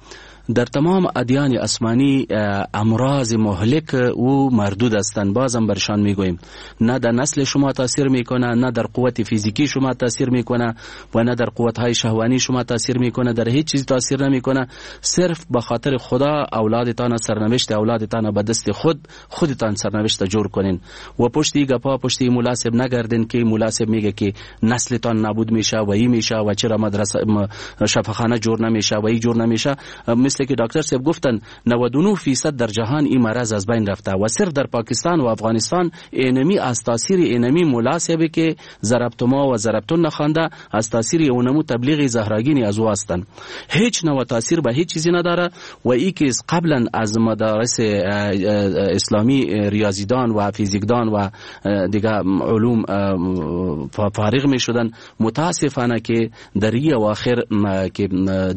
در تمام ادیان آسمانی امراض مهلک او مردود هستند. بازم برشان میگوییم نه در نسل شما تاثیر میکنه، نه در قوت فیزیکی شما تاثیر میکنه و نه در قوت های شهوانی شما تاثیر میکنه، در هیچ چیز تاثیر نمیکنه. صرف به خاطر خدا اولادتان، سرنوشت اولادتان به دست خودتان سرنوشت جور کنین و پشتی گپا پشتی ملاسب نگردین که ملاسب میگه که نسلتان نابود میشه و ای میشه و چرا مدرسه شفاخانه جور نمیشه و ای جور نمیشه. مثل که دکتر صاحب گفتن 99% در جهان این مرض از بین رفته و صرف در پاکستان و افغانستان اینمی از تاثیر اینمی ملاسبه که ضربتما و ضربتون نخوانده از تاثیر اونمو تبلیغ زهراگینی از او هستند. هیچ نوع تاثیر به هیچ چیزی نداره و ای که قبلا از مدارس اسلامی ریاضیدان و فیزیکدان و دیگه علوم فارغ می شدن، متاسفانه که در این اواخر که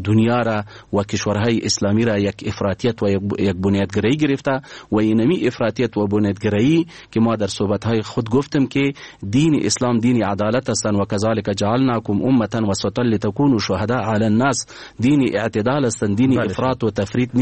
دنیا را و کشورهای اسلامی را یک افراطیت و یک بنیادگرایی گرفته و اینمی افراطیت و بنیادگرایی که ما در صحبت‌های خود گفتم که دین اسلام دین عدالت هستند و کذالک جعلناکم امه وسطا لتکونوا شهداء علی الناس، دین اعتدال هستند، دین افراط و تفریط نیست.